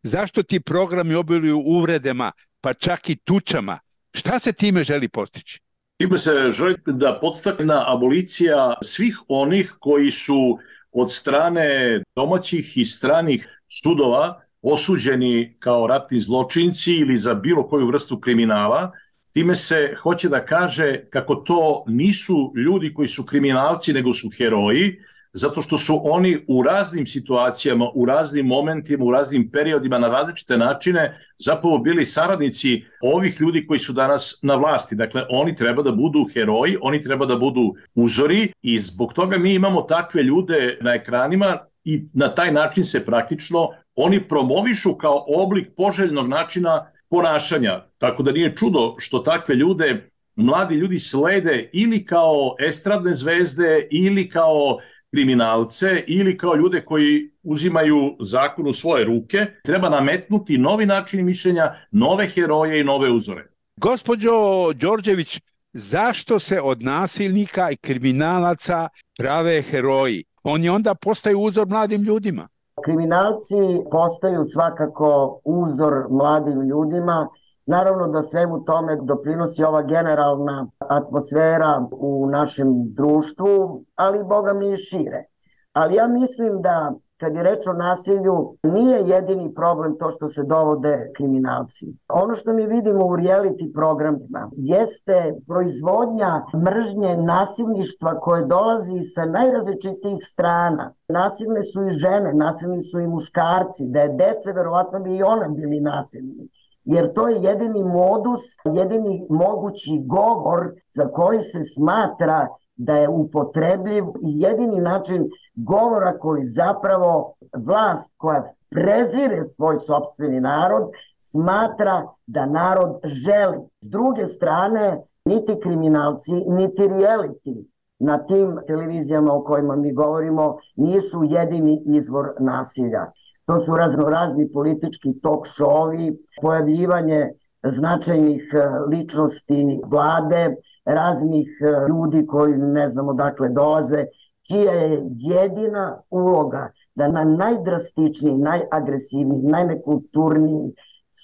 Zašto ti programi obiluju uvredama, pa čak i tučama? Šta se time želi postići? Time se želi da podstakne abolicija svih onih koji su od strane domaćih i stranih sudova osuđeni kao ratni zločinci ili za bilo koju vrstu kriminala. Time se hoće da kaže kako to nisu ljudi koji su kriminalci, nego su heroji, zato što su oni u raznim situacijama, u raznim momentima, u raznim periodima na različite načine zapravo bili saradnici ovih ljudi koji su danas na vlasti. Dakle, oni treba da budu heroji, oni treba da budu uzori i zbog toga mi imamo takve ljude na ekranima i na taj način se praktično oni promovišu kao oblik poželjnog načina ponašanja. Tako da nije čudo što takve ljude mladi ljudi slede ili kao estradne zvezde ili kao kriminalce ili kao ljude koji uzimaju zakon u svoje ruke. Treba nametnuti novi način mišljenja, nove heroje i nove uzore. Gospođo Đorđević, zašto se od nasilnika i kriminalaca prave heroji? Oni onda postaju uzor mladim ljudima. Kriminalci postaju svakako uzor mladim ljudima. Naravno da svemu tome doprinosi ova generalna atmosfera u našem društvu, ali boga mi i šire. Ali ja mislim da kad je reč o nasilju, nije jedini problem to što se dovode kriminalci. Ono što mi vidimo u reality programima jeste proizvodnja mržnje, nasilništva koje dolazi sa najrazličitijih strana. Nasilne su i žene, nasilni su i muškarci, da je dece, verovatno bi i one bili nasilni. Jer to je jedini modus, jedini mogući govor za koji se smatra da je upotrebljiv i jedini način govora koji zapravo vlast koja prezire svoj sopstveni narod smatra da narod želi. S druge strane, niti kriminalci, niti reality na tim televizijama o kojima mi govorimo nisu jedini izvor nasilja. To su raznorazni politički talk show-ovi, pojavljivanje značajnih ličnosti vlade, raznih ljudi koji ne znam odakle dolaze, čija je jedina uloga da na najdrastičniji, najagresivniji, najnekulturniji,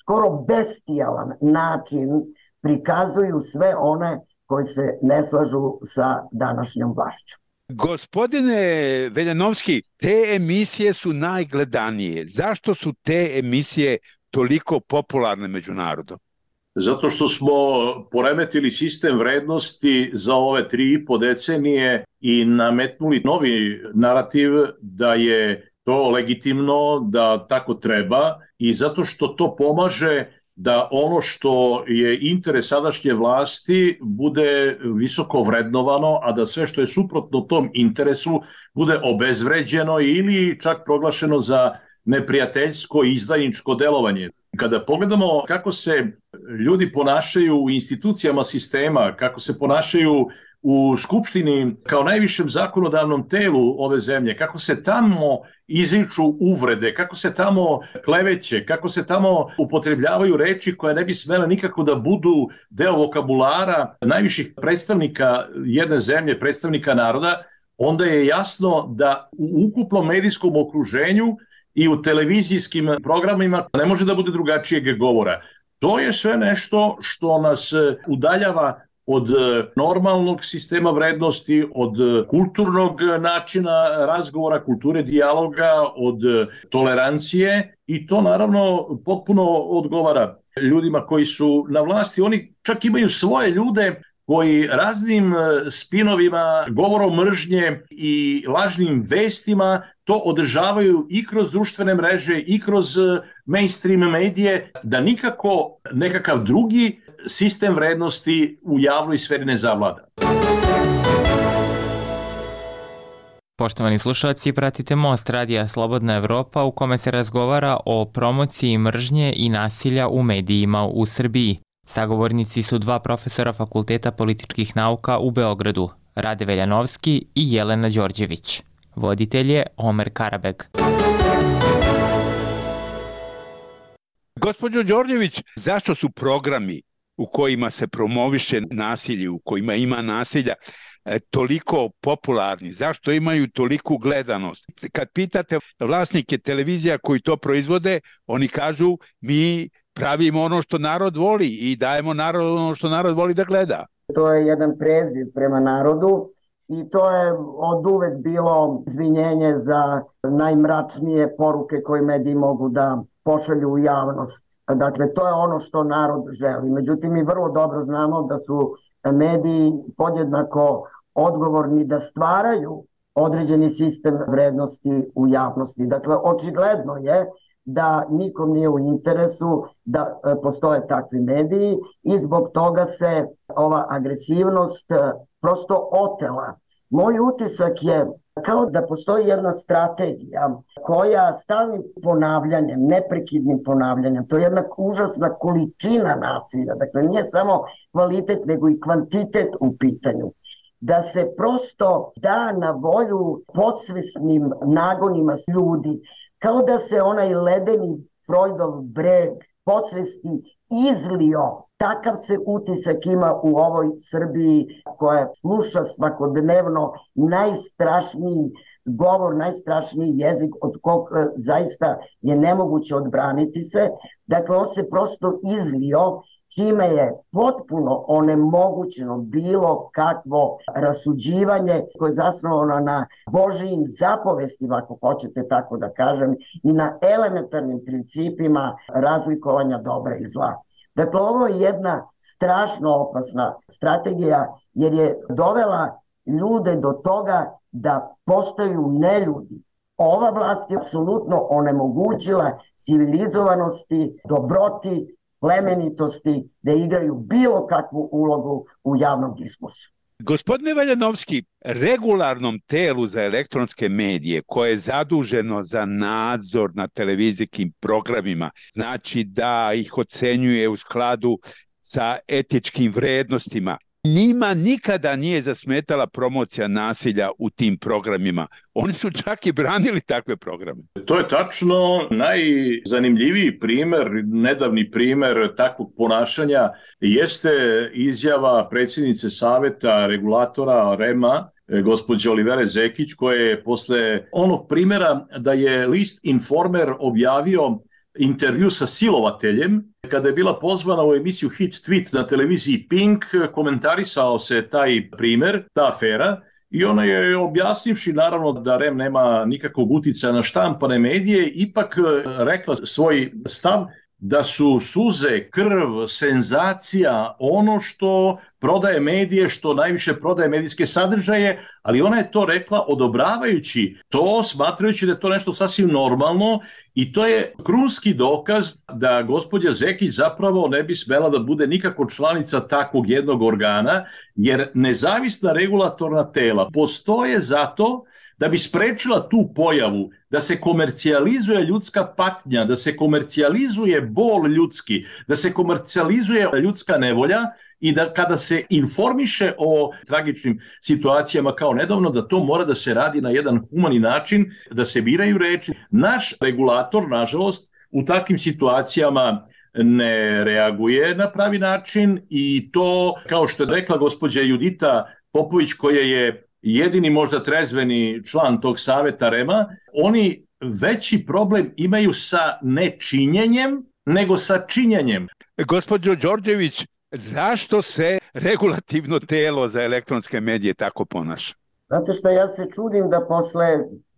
skoro bestijalan način prikazuju sve one koji se ne slažu sa današnjom vlašću. Gospodine Veljanovski, te emisije su najgledanije. Zašto su te emisije toliko popularne među narodom? Zato što smo poremetili sistem vrednosti za ove 3,5 decenije i nametnuli novi narativ da je to legitimno, da tako treba, i zato što to pomaže da ono što je interes sadašnje vlasti bude visoko vrednovano, a da sve što je suprotno tom interesu bude obezvređeno ili čak proglašeno za neprijateljsko i izdajničko delovanje. Kada pogledamo kako se ljudi ponašaju u institucijama sistema, kako se ponašaju u Skupštini kao najvišem zakonodavnom telu ove zemlje, kako se tamo izriču uvrede, kako se tamo kleveće, kako se tamo upotrebljavaju reči koje ne bi smele nikako da budu deo vokabulara najviših predstavnika jedne zemlje, predstavnika naroda, onda je jasno da u ukupnom medijskom okruženju i u televizijskim programima ne može da bude drugačijeg govora. To je sve nešto što nas udaljava od normalnog sistema vrednosti, od kulturnog načina razgovora, kulture dijaloga, od tolerancije, i to naravno potpuno odgovara ljudima koji su na vlasti. Oni čak imaju svoje ljude koji raznim spinovima, govorom mržnje i lažnim vestima to održavaju i kroz društvene mreže i kroz mainstream medije, da nikako nekakav drugi sistem vrednosti u javnoj sferi ne zavlada. Poštovani slušalci, pratite Most Radija Slobodna Evropa, u kome se razgovara o promociji mržnje i nasilja u medijima u Srbiji. Sagovornici su 2 profesora Fakulteta političkih nauka u Beogradu, Rade Veljanovski i Jelena Đorđević. Voditelj je Omer Karabeg. Gospođo Đorđević, zašto su programi u kojima se promoviše nasilje, u kojima ima nasilja, toliko popularni? Zašto imaju toliku gledanost? Kad pitate vlasnike televizija koji to proizvode, oni kažu mi pravimo ono što narod voli i dajemo narodu ono što narod voli da gleda. To je jedan preziv prema narodu i to je od uvek bilo izvinjenje za najmračnije poruke koje mediji mogu da pošalju u javnost. Dakle, to je ono što narod želi. Međutim, mi vrlo dobro znamo da su mediji podjednako odgovorni da stvaraju određeni sistem vrednosti u javnosti. Dakle, očigledno je da nikom nije u interesu da postoje takvi mediji i zbog toga se ova agresivnost prosto otela. Moj utisak je kao da postoji jedna strategija koja stalnim ponavljanjem, neprekidnim ponavljanjem, to je jedna užasna količina nasilja, dakle nije samo kvalitet nego i kvantitet u pitanju, da se prosto da na volju podsvesnim nagonima ljudi, kao da se onaj ledeni Freudov breg podsvesti izlio. Takav se utisak ima u ovoj Srbiji koja sluša svakodnevno najstrašniji govor, najstrašniji jezik od kog zaista je nemoguće odbraniti se. Dakle, on se prosto izlio, čime je potpuno onemogućeno bilo kakvo rasuđivanje koje je zasnovano na Božijim zapovestima, ako hoćete tako da kažem, i na elementarnim principima razlikovanja dobra i zla. Dakle, ovo je jedna strašno opasna strategija jer je dovela ljude do toga da postaju neljudi. Ova vlast je apsolutno onemogućila civilizovanosti, dobroti, plemenitosti da igraju bilo kakvu ulogu u javnom diskursu. Gospodine Veljanovski, regularnom telu za elektronske medije koje je zaduženo za nadzor na televizijskim programima, znači da ih ocenjuje u skladu sa etičkim vrednostima, Njima nikada nije zasmetala promocija nasilja u tim programima. Oni su čak i branili takve programe. To je tačno. Najzanimljiviji primer, nedavni primer takvog ponašanja jeste izjava predsjednice Saveta regulatora REM-a, gospođe Olivere Zekić, koja je posle onog primjera da je list Informer objavio intervju sa silovateljem, kada je bila pozvana u emisiju Hit Tweet na televiziji Pink, komentarisao se taj primer, ta afera, i ona je, objasnivši naravno da REM nema nikakvog uticaja na štampane medije, ipak rekla svoj stav da su suze, krv, senzacija ono što prodaje medije, što najviše prodaje medijske sadržaje, ali ona je to rekla odobravajući to, smatrajući da je to nešto sasvim normalno, i to je krunski dokaz da gospođa Zekić zapravo ne bi smela da bude nikako članica takvog jednog organa, jer nezavisna regulatorna tela postoje zato da bi sprečila tu pojavu, da se komercijalizuje ljudska patnja, da se komercijalizuje bol ljudski, da se komercijalizuje ljudska nevolja, i da kada se informiše o tragičnim situacijama kao nedavno, da to mora da se radi na jedan humani način, da se biraju reči. Naš regulator, nažalost, u takvim situacijama ne reaguje na pravi način, i to, kao što je rekla gospođa Judita Popović, koja je jedini možda trezveni član tog saveta REM-a, oni veći problem imaju sa nečinjenjem nego sa činjenjem. Gospođo Đorđević, zašto se regulativno telo za elektronske medije tako ponaša? Znate što, ja se čudim da posle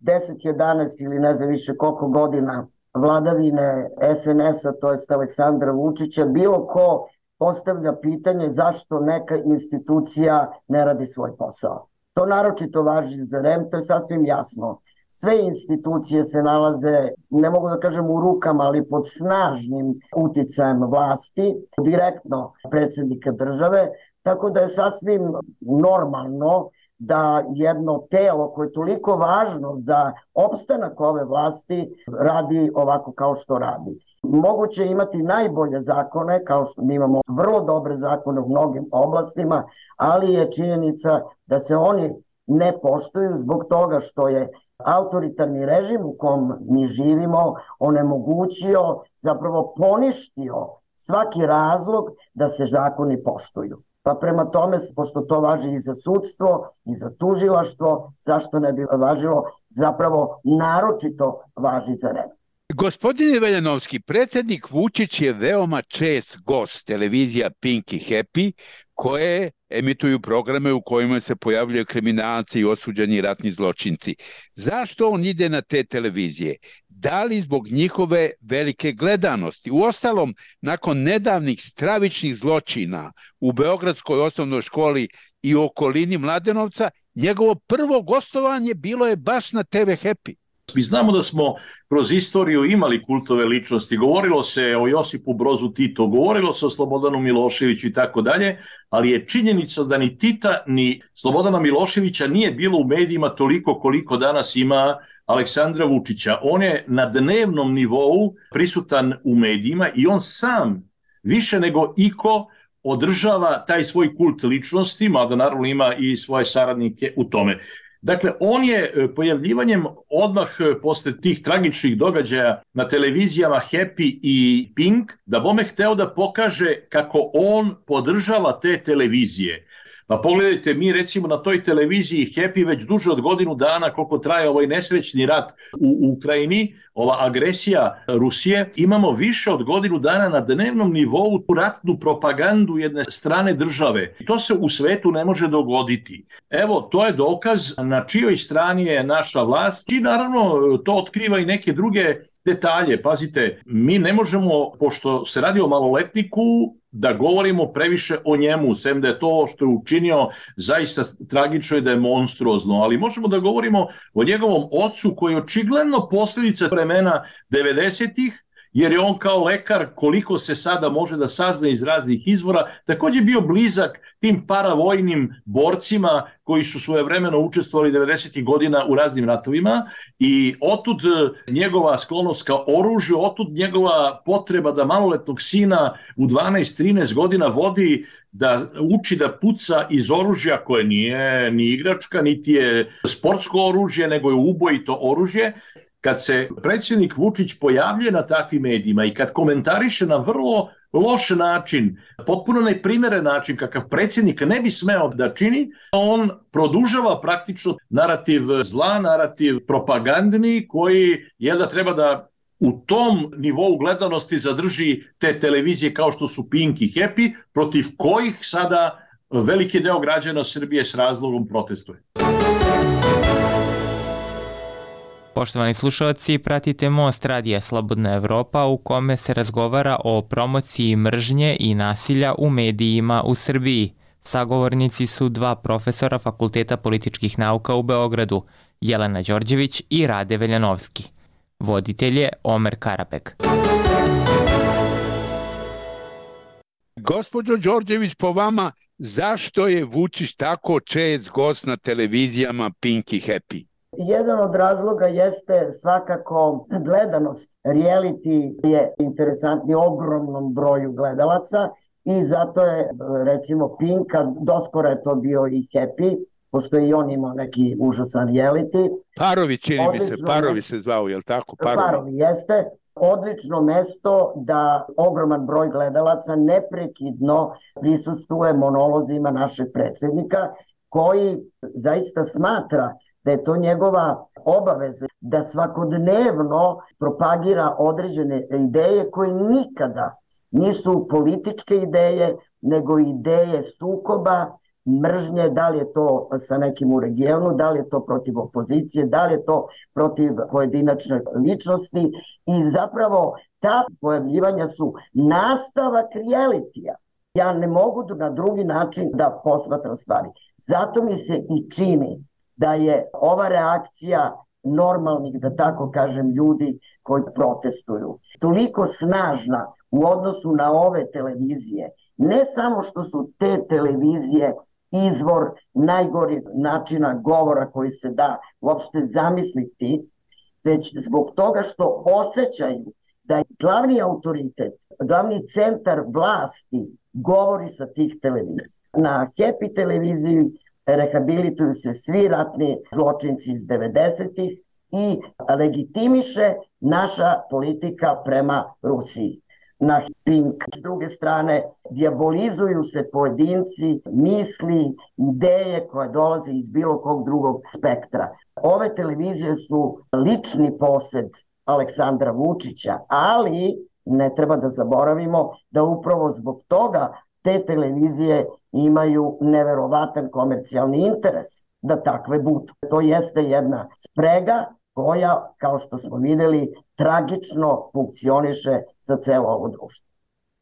10, 11 ili ne znam više koliko godina vladavine SNS-a, to jest Aleksandra Vučića, bilo ko postavlja pitanje zašto neka institucija ne radi svoj posao. To naročito važi za REM, to je sasvim jasno. Sve institucije se nalaze, ne mogu da kažem u rukama, ali pod snažnim uticajem vlasti, direktno predsjednika države, tako da je sasvim normalno da jedno telo koje je toliko važno za opstanak ove vlasti radi ovako kao što radi. Moguće imati najbolje zakone, kao što mi imamo vrlo dobre zakone u mnogim oblastima, ali je činjenica da se oni ne poštuju zbog toga što je autoritarni režim u kom mi živimo onemogućio, zapravo poništio svaki razlog da se zakoni poštuju. Pa prema tome, pošto to važi i za sudstvo, i za tužilaštvo, zašto ne bi važilo, zapravo naročito važi za REM. Gospodine Veljanovski, predsjednik Vučić je veoma čest gost televizija Pink i Happy, koje emituju programe u kojima se pojavljaju kriminalci i osuđeni ratni zločinci. Zašto on ide na te televizije? Da li zbog njihove velike gledanosti? Uostalom, nakon nedavnih stravičnih zločina u Beogradskoj osnovnoj školi i okolini Mladenovca, njegovo prvo gostovanje bilo je baš na TV Happy. Mi znamo da smo kroz istoriju imali kultove ličnosti, govorilo se o Josipu Brozu Tito, govorilo se o Slobodanu Miloševiću i tako dalje, ali je činjenica da ni Tita ni Slobodana Miloševića nije bilo u medijima toliko koliko danas ima Aleksandra Vučića. On je na dnevnom nivou prisutan u medijima i on sam više nego iko održava taj svoj kult ličnosti, mada naravno ima i svoje saradnike u tome. Dakle, on je pojavljivanjem odmah posle tih tragičnih događaja na televizijama Happy i Pink, da bome hteo da pokaže kako on podržava te televizije. Pa pogledajte, mi recimo na toj televiziji Happy već duže od godinu dana, koliko traje ovaj nesrećni rat u Ukrajini, ova agresija Rusije, imamo više od godinu dana na dnevnom nivou tu ratnu propagandu jedne strane države. To se u svetu ne može dogoditi. Evo, to je dokaz na čijoj strani je naša vlast i naravno to otkriva i neke druge detalje. Pazite, mi ne možemo, pošto se radi o maloletniku, da govorimo previše o njemu, sem da je to što je učinio zaista tragično i da je monstruozno, ali možemo da govorimo o njegovom ocu koji je očigledno posljedica vremena 90-ih jer je on kao lekar, koliko se sada može da sazna iz raznih izvora, također bio blizak tim paravojnim borcima koji su svojevremeno učestvovali 90. godina u raznim ratovima i otud njegova sklonost ka oružju, otud njegova potreba da maloletnog sina u 12-13 godina vodi da uči da puca iz oružja koje nije ni igračka, niti je sportsko oružje, nego je ubojito oružje. Kad se predsjednik Vučić pojavljuje na takvim medijima i kad komentariše na vrlo loš način, potpuno neprimeren način kakav predsjednik ne bi smeo da čini, on produžava praktično narativ zla, narativ propagandni koji je da treba da u tom nivou gledanosti zadrži te televizije kao što su Pink i Happy, protiv kojih sada veliki deo građana Srbije s razlogom protestuje. Poštovani slušalci, pratite Most Radija Slobodna Evropa u kome se razgovara o promociji mržnje i nasilja u medijima u Srbiji. Sagovornici su dva profesora Fakulteta političkih nauka u Beogradu, Jelena Đorđević i Rade Veljanovski. Voditelj je Omer Karabek. Gospođo Đorđević, po vama, zašto je Vučić tako čest gost na televizijama Pink i Happy? Jedan od razloga jeste svakako gledanost. Reality je interesantni ogromnom broju gledalaca i zato je, recimo, Pink, a doskoro je to bio i Happy, pošto je i on imao neki užasan reality. Parovi, čini mi se, Parovi se zvao, je li tako? Parovi jeste. Odlično mesto da ogroman broj gledalaca neprekidno prisustuje monolozima našeg predsjednika, koji zaista smatra da je to njegova obaveza da svakodnevno propagira određene ideje koje nikada nisu političke ideje, nego ideje sukoba, mržnje, da li je to sa nekim u regionu, da li je to protiv opozicije, da li je to protiv pojedinačne ličnosti i zapravo ta pojavljivanja su nastavak realitija. Ja ne mogu na drugi način da posmatram stvari. Zato mi se i čini da je ova reakcija normalnih, da tako kažem, ljudi koji protestuju toliko snažna u odnosu na ove televizije. Ne samo što su te televizije izvor najgorih načina govora koji se da uopšte zamisliti, već zbog toga što osjećaju da je glavni autoritet, glavni centar vlasti govori sa tih televizija. Na Happy televiziji rehabilituju se svi ratni zločinci iz 90-ih i legitimiše naša politika prema Rusiji. Na Pink, s druge strane, dijabolizuju se pojedinci, misli, ideje koje dolaze iz bilo kog drugog spektra. Ove televizije su lični posed Aleksandra Vučića, ali ne treba da zaboravimo da upravo zbog toga te televizije imaju neverovatan komercijalni interes da takve budu. To jeste jedna sprega koja, kao što smo vidjeli, tragično funkcioniše za celo ovo društvo.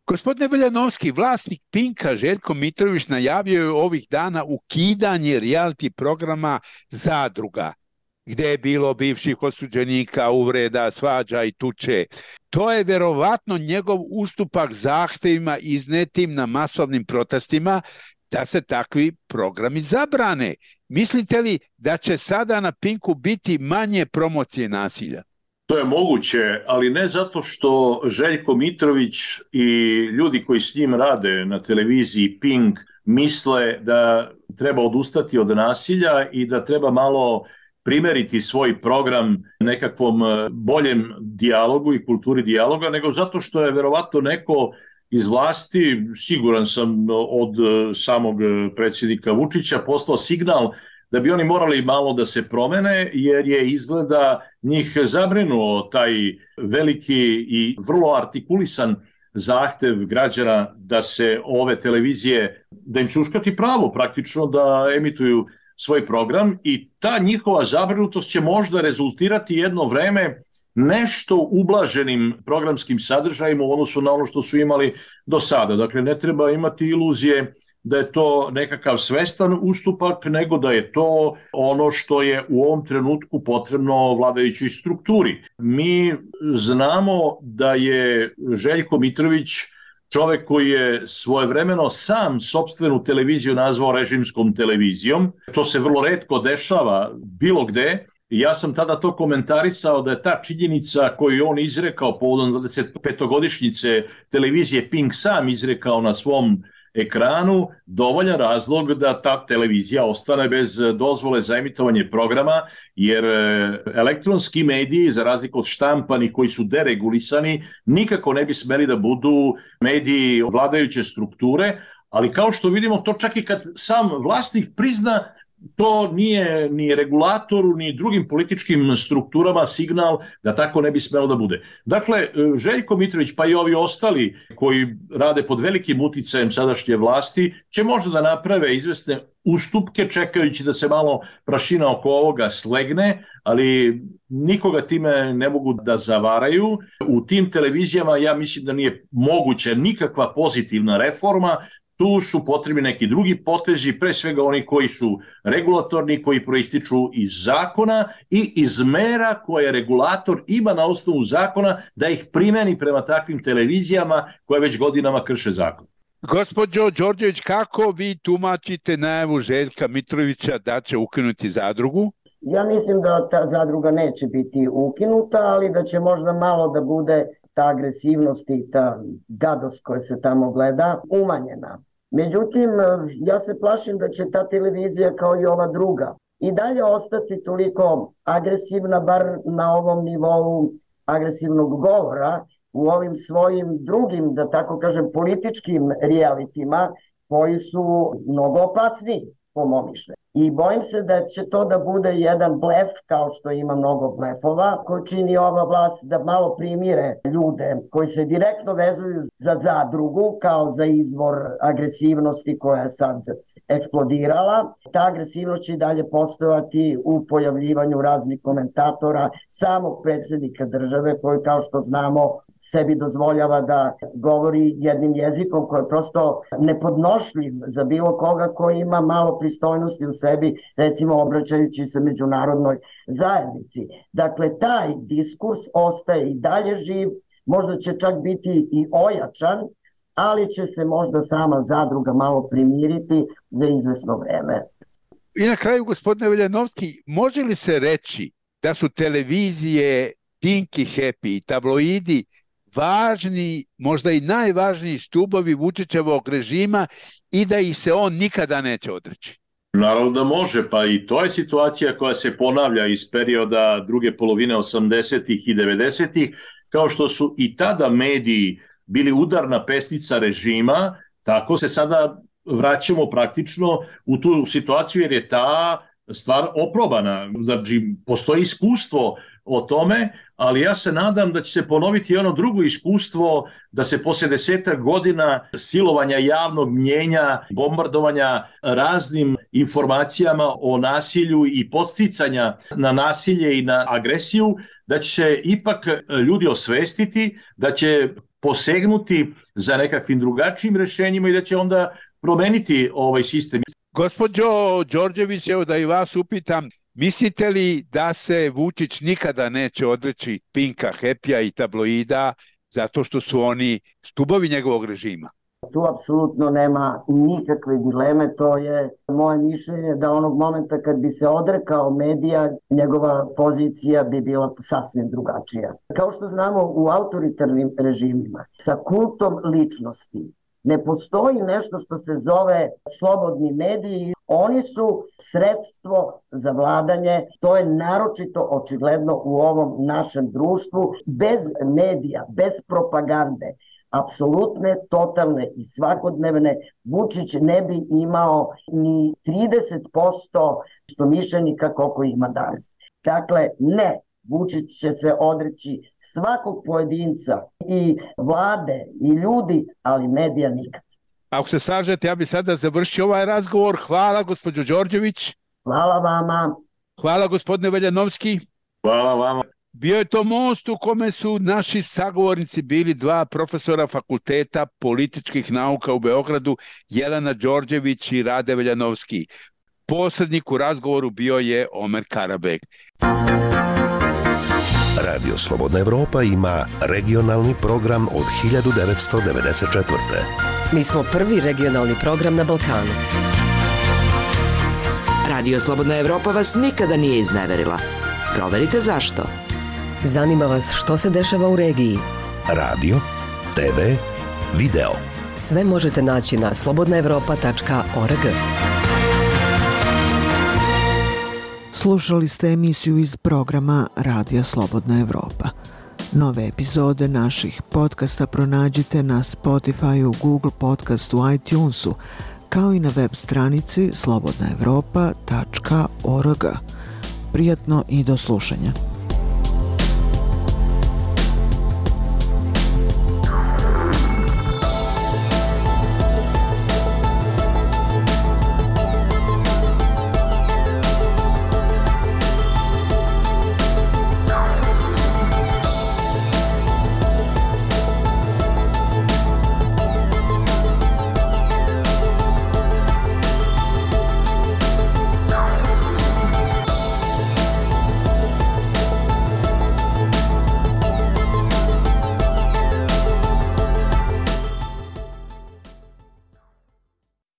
Gospodine Veljanovski, vlasnik Pinka Željko Mitrović najavio je ovih dana ukidanje reality programa Zadruga, gde je bilo bivših osuđenika, uvreda, svađa i tuče. To je verovatno njegov ustupak zahtevima iznetim na masovnim protestima da se takvi programi zabrane. Mislite li da će sada na Pinku biti manje promocije nasilja? To je moguće, ali ne zato što Željko Mitrović i ljudi koji s njim rade na televiziji Pink misle da treba odustati od nasilja i da treba malo primeriti svoj program nekakvom boljem dijalogu i kulturi dijaloga, nego zato što je verovatno neko iz vlasti, siguran sam od samog predsjednika Vučića, poslao signal da bi oni morali malo da se promene, jer je izgleda njih zabrinuo taj veliki i vrlo artikulisan zahtev građana da se ove televizije, da im se uskrati pravo praktično da emituju svoj program i ta njihova zabrinutost će možda rezultirati jedno vreme nešto ublaženim programskim sadržajima u odnosu na ono što su imali do sada. Dakle, ne treba imati iluzije da je to nekakav svestan ustupak, nego da je to ono što je u ovom trenutku potrebno vladajućoj strukturi. Mi znamo da je Željko Mitrović čovek koji je svojevremeno sam sopstvenu televiziju nazvao režimskom televizijom. To se vrlo retko dešava bilo gde. Ja sam tada to komentarisao da je ta činjenica koju on izrekao povodom 25-godišnjice televizije Pink sam izrekao na svom ekranu dovoljan razlog da ta televizija ostane bez dozvole za emitovanje programa, jer elektronski mediji, za razliku od štampanih koji su deregulisani, nikako ne bi smeli da budu mediji vladajuće strukture, ali kao što vidimo, to čak i kad sam vlasnik prizna, to nije ni regulatoru, ni drugim političkim strukturama signal da tako ne bi smelo da bude. Dakle, Željko Mitrović, pa i ovi ostali koji rade pod velikim uticajem sadašnje vlasti, će možda da naprave izvesne ustupke čekajući da se malo prašina oko ovoga slegne, ali nikoga time ne mogu da zavaraju. U tim televizijama ja mislim da nije moguća nikakva pozitivna reforma. Tu su potrebni neki drugi potezi, pre svega oni koji su regulatorni, koji proističu iz zakona i iz mera koje regulator ima na osnovu zakona da ih primeni prema takvim televizijama koje već godinama krše zakon. Gospođo Đorđević, kako vi tumačite najavu Željka Mitrovića da će ukinuti zadrugu? Ja mislim da ta zadruga neće biti ukinuta, ali da će možda malo da bude ta agresivnost i ta gadost koja se tamo gleda umanjena. Međutim, ja se plašim da će ta televizija kao i ova druga i dalje ostati toliko agresivna, bar na ovom nivou agresivnog govora, u ovim svojim drugim, da tako kažem, političkim realitima koji su mnogo opasniji, po mom mišljenju. I bojim se da će to da bude jedan blef, kao što ima mnogo blefova, koji čini ova vlast da malo primire ljude koji se direktno vezuju za zadrugu, kao za izvor agresivnosti koja je sad eksplodirala. Ta agresivnost će i dalje postojati u pojavljivanju raznih komentatora, samog predsjednika države, koji, kao što znamo, sebi dozvoljava da govori jednim jezikom koji je prosto nepodnošljiv za bilo koga koji ima malo pristojnosti u sebi, recimo obraćajući se međunarodnoj zajednici. Dakle, taj diskurs ostaje i dalje živ, možda će čak biti i ojačan, ali će se možda sama zadruga malo primiriti za izvesno vreme. I na kraju, gospodine Veljanovski, može li se reći da su televizije Pink i Happy i tabloidi važni, možda i najvažniji stubovi Vučićevog režima i da ih se on nikada neće odreći? Naravno da može, pa i to je situacija koja se ponavlja iz perioda druge polovine 80-ih i 90-ih, kao što su i tada mediji bili udarna pestica režima, tako se sada vraćamo praktično u tu situaciju jer je ta stvar oprobana. Znači, postoji iskustvo o tome, ali ja se nadam da će se ponoviti ono drugo iskustvo da se posle 10 godina silovanja javnog mnjenja, bombardovanja raznim informacijama o nasilju i podsticanja na nasilje i na agresiju, da će se ipak ljudi osvestiti, da će posegnuti za nekakvim drugačijim rešenjima i da će onda promeniti ovaj sistem. Gospođo Đorđević, evo da i vas upitam, mislite li da se Vučić nikada neće odreći Pinka, Happy-a i tabloida zato što su oni stubovi njegovog režima? Tu apsolutno nema nikakve dileme, to je moje mišljenje da onog momenta kad bi se odrekao medija, njegova pozicija bi bila sasvim drugačija. Kao što znamo, u autoritarnim režimima sa kultom ličnosti ne postoji nešto što se zove slobodni mediji. Oni su sredstvo za vladanje, to je naročito očigledno u ovom našem društvu. Bez medija, bez propagande, apsolutne, totalne i svakodnevne, Vučić ne bi imao ni 30% istomišljenika koliko ima danas. Dakle, ne, Vučić će se odreći svakog pojedinca i vlade i ljudi, ali medija nikad. Ako se slažete, ja bih sada završio ovaj razgovor. Hvala, gospođo Đorđević. Hvala vama. Hvala, gospodine Veljanovski. Hvala vama. Bio je to most u kome su naši sagovornici bili dva profesora Fakulteta političkih nauka u Beogradu, Jelena Đorđević i Rade Veljanovski. Posrednik u razgovoru bio je Omer Karabek. Radio Slobodna Evropa ima regionalni program od 1994. Mi smo prvi regionalni program na Balkanu. Radio Slobodna Evropa vas nikada nije izneverila. Proverite zašto. Zanima vas što se dešava u regiji. Radio, TV, video. Sve možete naći na slobodnaevropa.org. Slušali ste emisiju iz programa Radija Slobodna Evropa. Nove epizode naših podcasta pronađite na Spotify, Google Podcastu, iTunesu, kao i na web stranici slobodnaevropa.org. Prijatno i do slušanja.